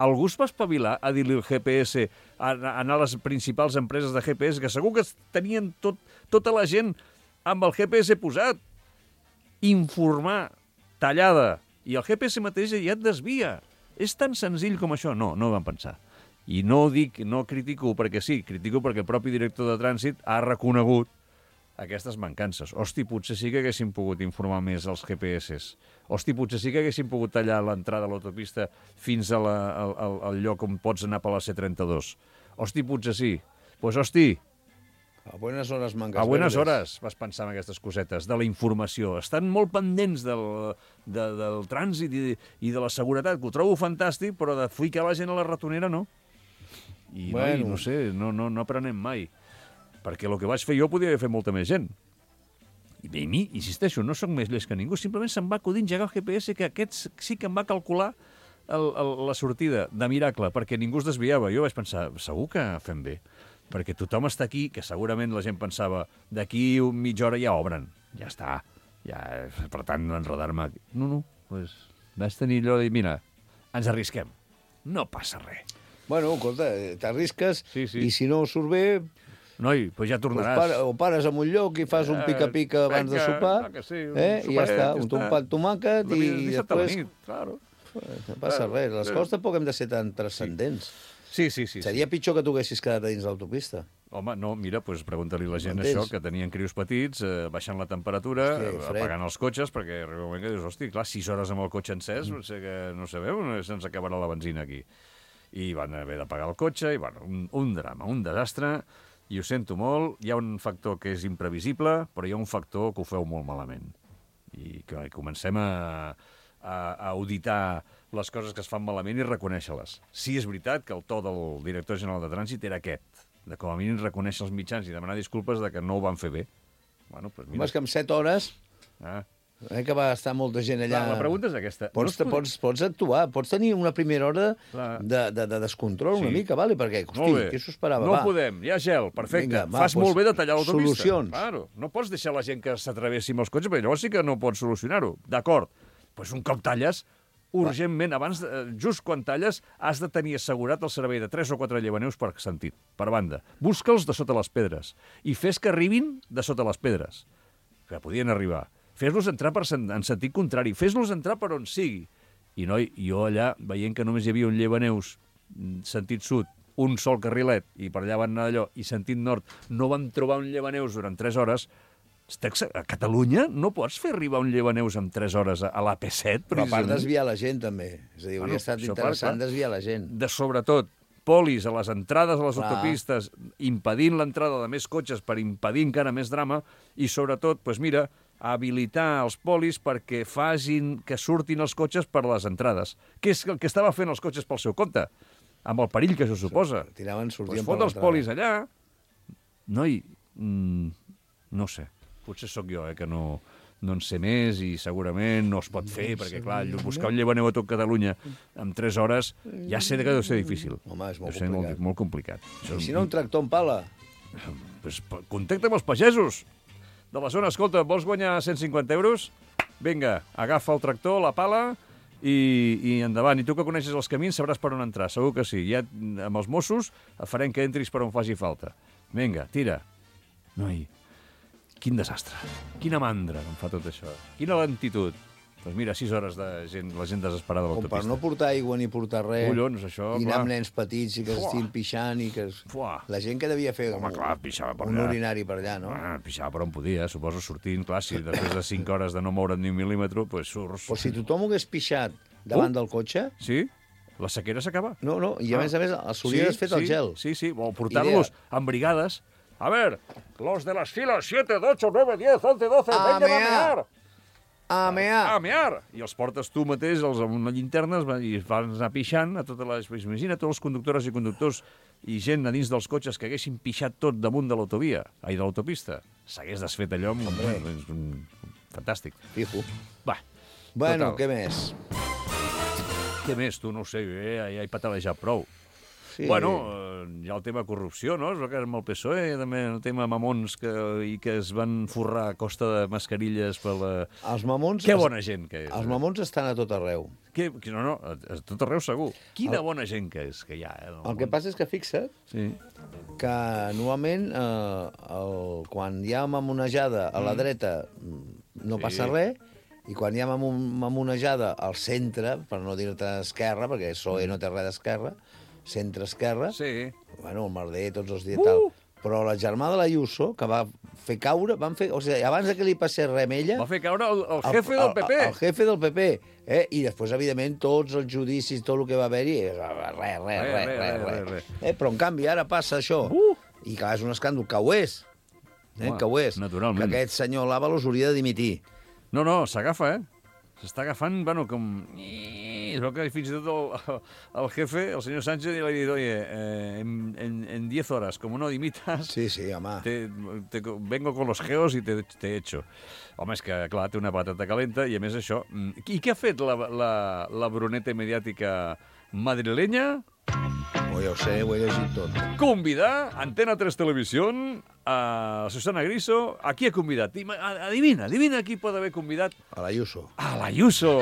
Algú es va espavilar a dir-li al GPS, a anar a les principals empreses de GPS, que segur que tenien tota la gent amb el GPS posat. Informar, tallada. I el GPS mateix ja et desvia. És tan senzill com això? No van pensar. I no critico perquè sí, critico perquè el propi director de trànsit ha reconegut aquestes mancances. Hosti, potser sí que haguéssim pogut informar més als GPS. Hosti, potser sí que haguéssim pogut tallar l'entrada a l'autopista fins al lloc on pots anar per la C32. Hosti, potser sí. Doncs hosti, a buenas hores mangas a buenas verdes. hores vas pensar en aquestes cosetes, de la informació. Estan molt pendents del trànsit i de la seguretat, que ho trobo fantàstic, però de ficar la gent a la ratonera no. I bueno, no sé, no aprenem mai. Perquè el que vaig fer jo podia haver fet molta més gent. I a mi, insisteixo, no sóc més llest que ningú, simplement se'm va acudir engegar el GPS, que aquest sí que em va calcular la sortida de miracle, perquè ningú es desviava. Jo vaig pensar, segur que fem bé, perquè tothom està aquí, que segurament la gent pensava d'aquí mitja hora ja obren. Ja està. Per tant, no enredar-me. No, doncs vaig tenir allò de dir, mira, ens arrisquem. No passa res. Bueno, escolta, t'arrisques sí. I si no surt bé... Noi, doncs ja tornaràs. O pares en un lloc i fas un pica-pica abans de sopar, sí, i ja està, un tomàquet i després... Claro. No passa res, les coses tampoc hem de ser tan transcendents. Sí. Seria pitjor que tu haguessis quedat a dins l'autopista. Home, no, mira, doncs pregunta-li a la gent això, que tenien crios petits, baixant la temperatura, apagant els cotxes, perquè arriba un moment que dius, hosti, clar, 6 hores amb el cotxe encès, no sabeu, se'ns acabarà la benzina aquí. I van haver de pagar el cotxe, i bueno, un drama, un desastre, i ho sento molt, hi ha un factor que és imprevisible, però hi ha un factor que ho feu molt malament. I que comencem a auditar les coses que es fan malament i reconèixer-les. Sí, és veritat que el to del director general de trànsit era aquest, de com a mínim reconèixer els mitjans i demanar disculpes de que no ho van fer bé. Bueno, doncs mira. És que en 7 hores, que va estar molta gent allà... La pregunta és aquesta. Pots actuar, pots tenir una primera hora de descontrol una mica, vale? Perquè, hosti, què s'ho esperava? No podem, hi ha gel, perfecte. Fas molt bé de tallar l'autopista. Solucions. Claro, no pots deixar la gent que s'atravessi amb els cotxes, perquè llavors sí que no pots solucionar-ho. D'acord, doncs un cop talles, urgentment, just quan talles, has de tenir assegurat el servei de 3 o 4 llevaneus per sentit, per banda. Busca'ls de sota les pedres i fes que arribin de sota les pedres, que podien arribar. Fes-los entrar en sentit contrari, fes-los entrar per on sigui. I noi, jo allà, veient que només hi havia un llevaneus sentit sud, un sol carrilet, i per allà van anar allò, i sentit nord, no van trobar un llevaneus durant 3 hores, A Catalunya no pots fer arribar un llevaneus en 3 hores a l'AP7, Però a part desviar la gent, també. És a dir, hauria estat interessant desviar la gent. Sobretot, polis a les entrades a les Clar. autopistes, impedint l'entrada de més cotxes per impedir encara més drama, i sobretot, doncs mira, habilitar els polis perquè facin que surtin els cotxes per les entrades. Què és el que estava fent els cotxes pel seu compte? Amb el perill que això suposa. Tiraven, sortien Doncs per fot els l'entrada. polis allà. Noi, no sé, potser sóc jo, que no en sé més i segurament no es pot fer, perquè, clar, buscar un llevaneu a tot Catalunya en 3 hores ja sé que deu ser difícil. Home, és molt Deu ser complicat. molt complicat. I si no, un tractor en pala. Pues, contacta amb els pagesos de la zona. Escolta, vols guanyar 150 euros? Vinga, agafa el tractor, la pala i endavant. I tu que coneixes els camins sabràs per on entrar, segur que sí. Ja amb els Mossos farem que entris per on faci falta. Vinga, tira. Noi, quin desastre. Quina mandra em fa tot això. Quina lentitud. Doncs mira, 6 hores de gent, la gent desesperada a Com l'autopista. per no portar aigua ni portar res. Collons, això, I anar clar. amb nens petits i que estiguin pixant i que... La gent que devia fer Home, clar, pixava per un allà. urinari per allà, no? Pixava per on podia, suposo, sortint. Clar, si després de 5 hores de no moure't ni un mil·límetre, doncs surts. Però si tothom ho hagués pixat davant del cotxe... Sí? La sequera s'acaba. No, i a més, s'hauria fet el gel. Sí, o portar-los en brigades. A ver, los de las filas 7, 8, 9, 10, 11, 12, vengan a mear. A mear. A mear. I els portes tu mateix amb una llinterna i van anar pixant a totes les... Imagina tots els conductores i conductors i gent a dins dels cotxes que haguessin pixat tot damunt de l'autovia, de l'autopista. S'hagués desfet allò fantàstic. Fijo. Va. Bueno, total. què més? Què més? Tu no ho sé, ja he patalejat prou. Sí. Bueno, hi ha el tema corrupció, no? És el que és amb el PSOE, també el tema mamons que es van forrar a costa de mascarilles per la... Els mamons... Que bona gent que és. Els mamons estan a tot arreu. No, a tot arreu segur. Quina bona gent que és, que hi ha. El que passa és que fixa't que normalment quan hi ha mamonejada a la dreta no passa res, i quan hi ha mamonejada al centre, per no dir-te esquerra, perquè PSOE no té res d'esquerra, centre-esquerra, bueno, el merder tots els dies i tal. Però la germà de l'Ayuso, que va fer caure, o sigui, abans que li passés res amb ella... Va fer caure el jefe del PP. El jefe del PP. I després, evidentment, tots els judicis, tot el que va haver-hi, res. Però, en canvi, ara passa això. I clar, és un escàndol, que ho és. Que ho és. Naturalment. Que aquest senyor Lávalos hauria de dimitir. No, s'agafa, S'està agafant, bueno, com... Es veu que fins i tot el jefe, el senyor Sánchez, li ha dit, oye, en 10 horas, como no dimitas... Sí, home. Vengo con los geos y te echo. Home, és que, clar, té una patata calenta i, a més, això... I què ha fet la bruneta mediàtica madrilenya? Ja ho sé, ho he llegit tot. Convidar Antena 3 Televisión a Susana Griso. A qui ha convidat? Adivina qui pot haver convidat. A l'Ayuso. A l'Ayuso!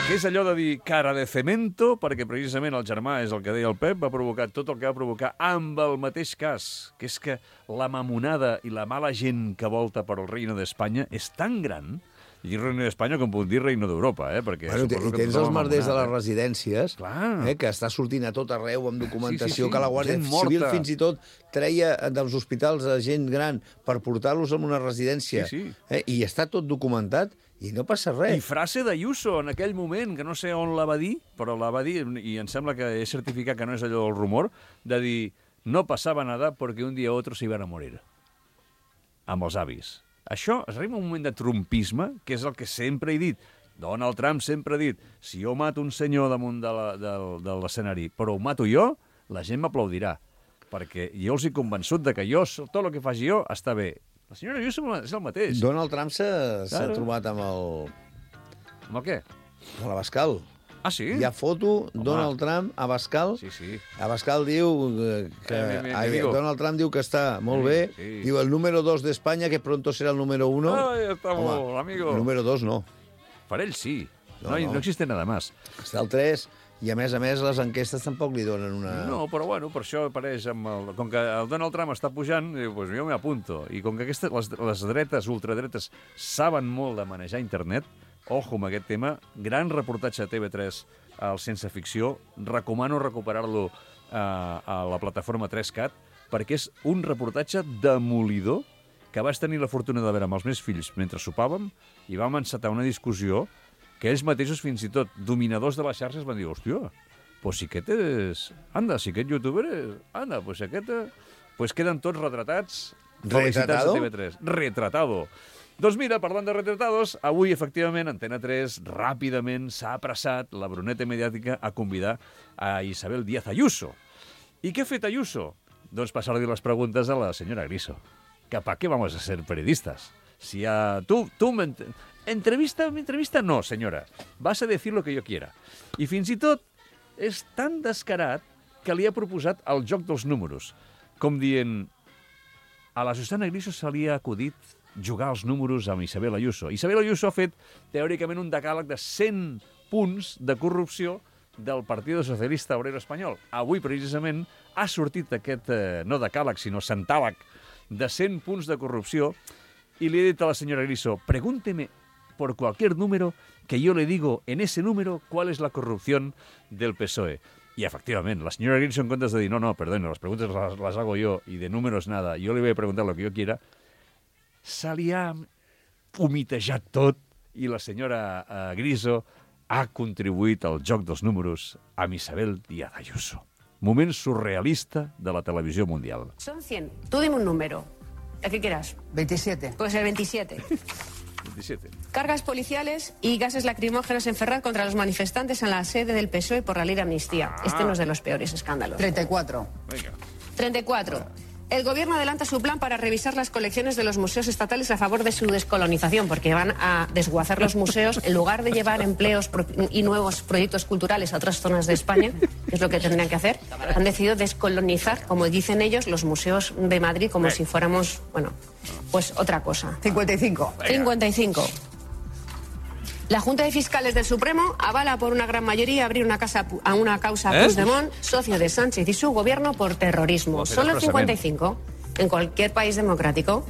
Que és allò de dir cara de cemento, perquè precisament el germà és el que deia el Pep, va provocar tot el que va provocar amb el mateix cas, que és que la mamonada i la mala gent que volta per el Reino d'Espanya és tan gran, i Reino d'Espanya com puc dir Reino d'Europa, perquè... Bueno, i tens els merders de les residències, Clar. Que està sortint a tot arreu amb documentació, Sí, que la Guàrdia gent Civil morta. fins i tot treia dels hospitals a gent gran per portar-los a una residència. Sí. I està tot documentat i no passa res. I frase d'Ayuso en aquell moment, que no sé on la va dir, però la va dir, i em sembla que he certificat que no és allò del rumor, de dir, no passava nada perquè un dia o otro se iban a morir. Amb els avis. Això es arriba un moment de trumpisme, que és el que sempre he dit. Donald Trump sempre ha dit, si jo mato un senyor damunt de l'escenari, però ho mato jo, la gent m'aplaudirà. Perquè jo els he convençut de que tot el que faci jo està bé. La senyora Ayuso és el mateix. Donald Trump s'ha trobat amb Amb el què? la Bascal. Ah, sí? Hi ha foto, Donald Trump a Bascal. Sí. Abascal diu que... Donald Trump diu que està molt bé. Sí. Diu el número 2 d'Espanya, que pronto serà el número 1. Ai, estamos, amigo. El número 2 no. Per ell sí. No. No existe nada más. Està el 3, i a més, les enquestes tampoc li donen una... No, però bueno, per això apareix amb el... Com que el Donald Trump està pujant, diu, pues jo m'apunto. I com que les dretes, ultradretes, saben molt de manejar internet, ojo amb aquest tema, gran reportatge a TV3 al Sense Ficció, recomano recuperar-lo a la plataforma 3CAT, perquè és un reportatge demolidor que vaig tenir la fortuna de veure amb els meus fills mentre sopàvem i vam encetar una discussió que ells mateixos, fins i tot dominadors de les xarxes, van dir, hòstia, pues si aquest és... Anda, si aquest youtuber és... Anda, pues si aquest... Pues queden tots retratats. ¿Retratado? De TV3. Retratado. Doncs mira, parlant de retratados, avui, efectivament, Antena 3 ràpidament s'ha apressat la bruneta mediàtica a convidar a Isabel Díaz Ayuso. I què ha fet Ayuso? Doncs passar-li les preguntes a la senyora Griso. Que ¿para qué vamos a ser periodistas? Si a... Tú me... Entrevista no, senyora. Vas a decir lo que yo quiera. I fins i tot és tan descarat que li ha proposat el joc dels números. Com dient, a la Susana Griso se li ha acudit jugar els números amb Isabel Ayuso. Isabel Ayuso ha fet, teòricament, un decàleg de 100 punts de corrupció del Partido Socialista Obrero Espanyol. Avui, precisament, ha sortit aquest, no decàleg, sinó centàleg, de 100 punts de corrupció, i li he dit a la senyora Griso, pregúnteme por cualquier número que yo le digo en ese número cuál es la corrupción del PSOE. Y efectivamente, la señora Griso, en comptes de dir, no, perdón, las preguntas las hago yo y de números nada, yo le voy a preguntar lo que yo quiera, se li ha humitejat tot i la senyora Griso ha contribuït al joc dels números amb Isabel Díaz Ayuso. Moment surrealista de la televisió mundial. Son 100. Tú dime un número. El que quieras. 27. Pues el 27. 27. Cargas policiales y gases lacrimógenos en Ferraz contra los manifestantes en la sede del PSOE por la ley de amnistía. Este no es de los peores escándalos. 34. Venga. 34. El gobierno adelanta su plan para revisar las colecciones de los museos estatales a favor de su descolonización, porque van a desguazar los museos en lugar de llevar empleos y nuevos proyectos culturales a otras zonas de España, que es lo que tendrían que hacer. Han decidido descolonizar, como dicen ellos, los museos de Madrid como si fuéramos, bueno, pues otra cosa. 55. 55. La Junta de Fiscales del Supremo avala por una gran mayoría abrir una causa a Puigdemont, socio de Sánchez y su gobierno, por terrorismo. Solo el 55, en cualquier país democrático,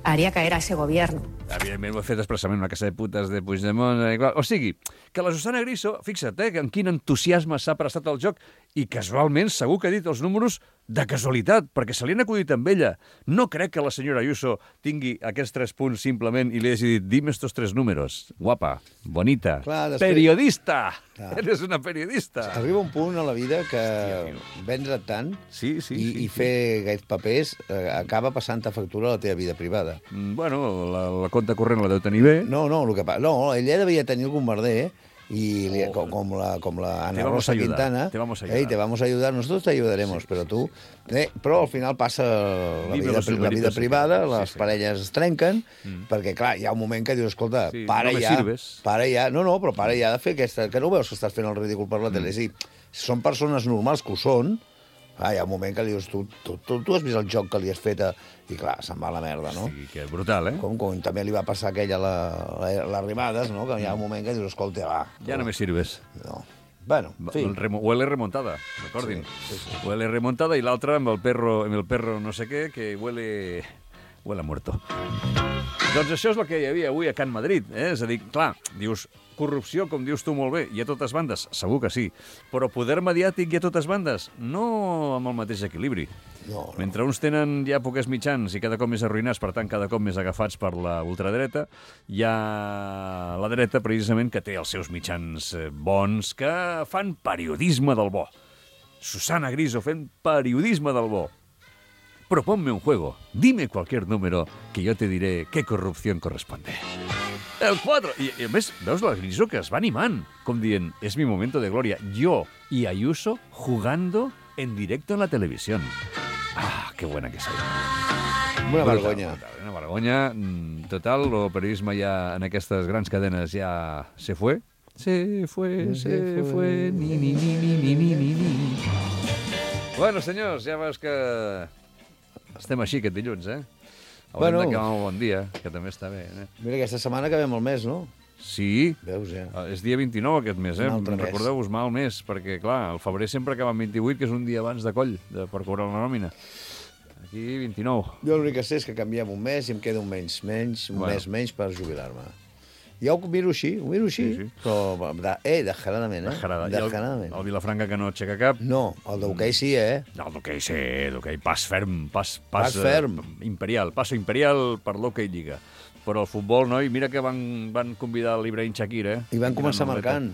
haría caer a ese gobierno. Evidentment ho he fet expressament una casa de putes de Puigdemont. O sigui, que la Susana Griso, fixa't, en quin entusiasme s'ha prestat al joc i casualment segur que ha dit els números de casualitat, perquè se li han acudit amb ella. No crec que la senyora Ayuso tingui aquests 3 punts simplement i li hagi dit, dime estos 3 números. Guapa, bonita, clar, després... periodista. Clar. Eres una periodista. Arriba un punt a la vida que vendre tant i fer aquests papers acaba passant-te factura a la teva vida privada. Bueno, la compte corrent la deu tenir bé. No, ella devia tenir algun merder, com la Ana Rosa Quintana. Te vamos a ayudar. Te vamos a ayudar, nosotros te ayudaremos, però tu... Però al final passa la vida privada, les parelles es trenquen, perquè, clar, hi ha un moment que dius, escolta, para ja... No, però para ja de fer aquesta... Que no veus que estàs fent el ridícul per la tele? Sí, són persones normals que ho són, hi ha un moment que li dius, tu has vist el joc que li has fet i clar, se'n va a la merda, no? Sí, que és brutal, eh? Com també li va passar aquella a l'Arribades, no? Que hi ha un moment que dius, escolta, va. Ja no me sirves. No. Bueno, en fi. Huele remontada, recordin. Sí. Huele remontada i l'altre amb el perro no sé què, que huele a muerto. Doncs això és el que hi havia avui a Can Madrid, eh? És a dir, clar, dius, corrupció, com dius tu molt bé, hi ha totes bandes, segur que sí, però poder mediàtic hi ha totes bandes, no amb el mateix equilibri. No. Mentre uns tenen ja poques mitjans i cada cop més arruïnats, per tant, cada cop més agafats per la ultradreta, hi ha la dreta, precisament, que té els seus mitjans bons, que fan periodisme del bo. Susana Griso fent periodisme del bo. Proponme un juego, dime cualquier número que yo te diré qué corrupción corresponde. El 4. I a més, veus la Griso que es va animant, com dient, es mi momento de gloria. Yo y Ayuso jugando en directo en la televisión. Ah, qué buena que soy. Una vergonya. Una vergonya. Total, el periodisme ja en aquestes grans cadenes ja se fue. Se fue. Ni. Bueno, senyors, ja veus que estem així aquest dilluns, eh? Haurem d'acabar un bon dia, que també està bé. Mira, aquesta setmana acabem el mes, no? Sí. Veus, ja. És dia 29 aquest mes, eh? Recordeu-vos mal mes, perquè, clar, el febrer sempre acaba amb 28, que és un dia abans de coll, per cobrar la nòmina. Aquí, 29. Jo l'únic que sé és que canviem un mes i em queda un mes menys per jubilar-me. Jo ho miro així. Sí. Però, descaradament, Descaradament. El Vilafranca que no aixeca cap. No, el d'hoquei sí, No, el d'hoquei sí, d'hoquei. Pas ferm, pas ferm. Imperial, passo imperial per l'hoquei Lliga. Però el futbol, noi, mira que van convidar l'Ibrahim Shakir, I van començar marcant.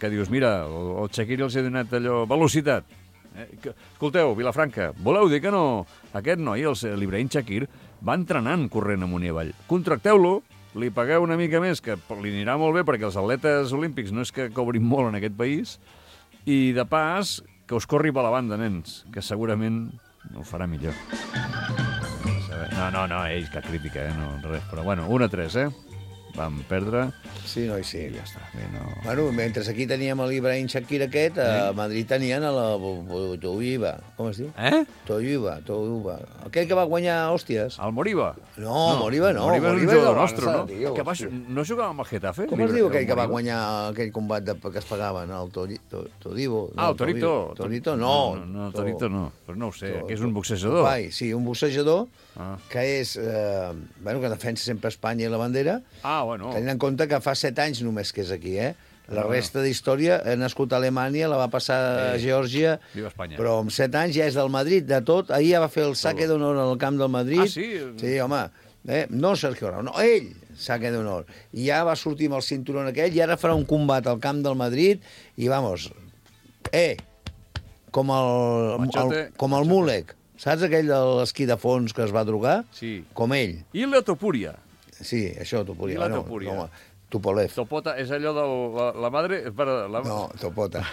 Que dius, mira, el Shakir els ha donat allò, velocitat. Escolteu, Vilafranca, voleu dir que no? Aquest noi, l'Ibrahim Shakir, va entrenant corrent amunt i avall. Contracteu-lo, li pagueu una mica més, que li anirà molt bé, perquè els atletes olímpics no és que cobrin molt en aquest país, i de pas, que us corri per la banda, nens, que segurament ho farà millor. No, que crítica, no, res. Però bueno, 1-3, Vam perdre. Sí, noi, sí. I ja està. Bé, no... Bueno, mentre aquí teníem l'Ibrahim Shakir aquest, a Madrid tenien a la Toiba. Com es diu? Toiba. Aquell que va guanyar hòsties. El Moriba? No, Moriba no. Moriba és un jugador nostre, no? Tio, que no jugava amb el Getafe? Com es diu aquell que va guanyar aquell combat que es pagaven? El Todibo? El Torito. Torito no. No, Torito no. Però no ho sé, que és un boxejador. Sí, un boxejador que és... que defensa sempre Espanya i la bandera. Bueno. Tenint en compte que fa 7 anys només que és aquí, La resta d'història, ha nascut a Alemanya, la va passar a Geòrgia, però amb 7 anys ja és del Madrid, de tot. Ahir ja va fer el saque d'honor al camp del Madrid. Sí? Sí, home. No Sergio Ramos, no, ell, saque d'honor. I ja va sortir amb el cinturón aquell i ara farà un combat al camp del Madrid i, vamos, com el Mulek. Saps aquell de l'esquí de fons que es va drogar? Sí. Com ell. I la Topuria. Sí, això, Topuria. I la Topuria. No, Tupolev. Topota és allò de la madre... No, Topota.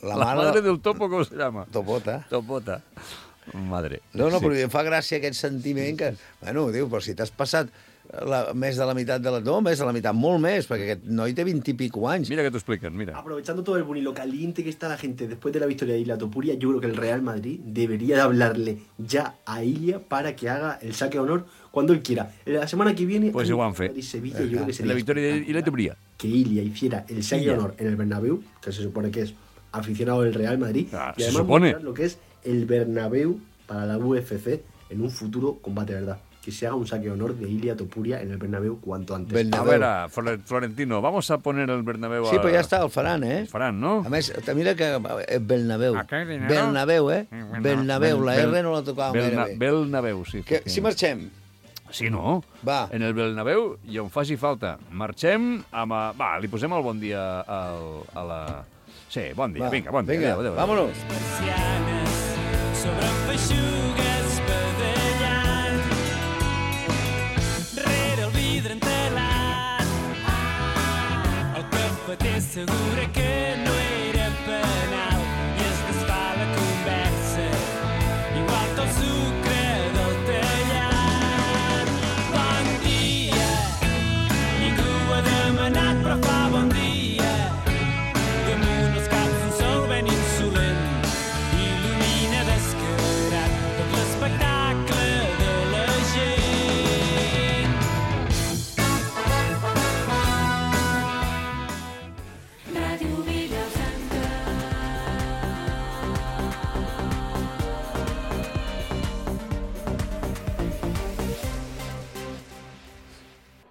La madre del topo, com se llama? Topota. Madre. No, però em fa gràcia aquest sentiment que... Bueno, diu, però si t'has passat més de la meitat de la... No, més de la meitat, molt més, perquè aquest noi té 20 y pico años. Mira que t'ho expliquen, mira. Aprovechando todo el boom y lo caliente que está la gente después de la victoria de Ilia Topuria, yo creo que el Real Madrid debería de hablarle ya a Ilia para que haga el saque de honor cuando él quiera. La semana que viene... Pues igual fe. Sevilla, yo creo que sería la victoria de Ilia Topuria. Que Ilia hiciera el saque de honor en el Bernabéu, que se supone que es aficionado del Real Madrid, y además mostrar lo que es el Bernabéu para la UFC en un futuro combate, ¿verdad? Que se haga un saque de honor de Ilia Topuria en el Bernabéu cuanto antes. Bernabéu. A ver, Florentino, vamos a poner el Bernabéu... Sí, però ja està, el faran, El faran, no? A més, mira que Bernabéu. Bernabéu, Bernabéu, la R no la tocava gaire bé. Bernabéu, sí. Si marxem. Sí, no? Va. En el Bernabéu i on faci falta. Marxem amb... Va, li posem el bon dia a la... Sí, bon dia, vinga, bon dia. Vinga, adéu. Vámonos. Sobre feixugues badallant rere el vidre entelat el cafeter assegura que no era penat.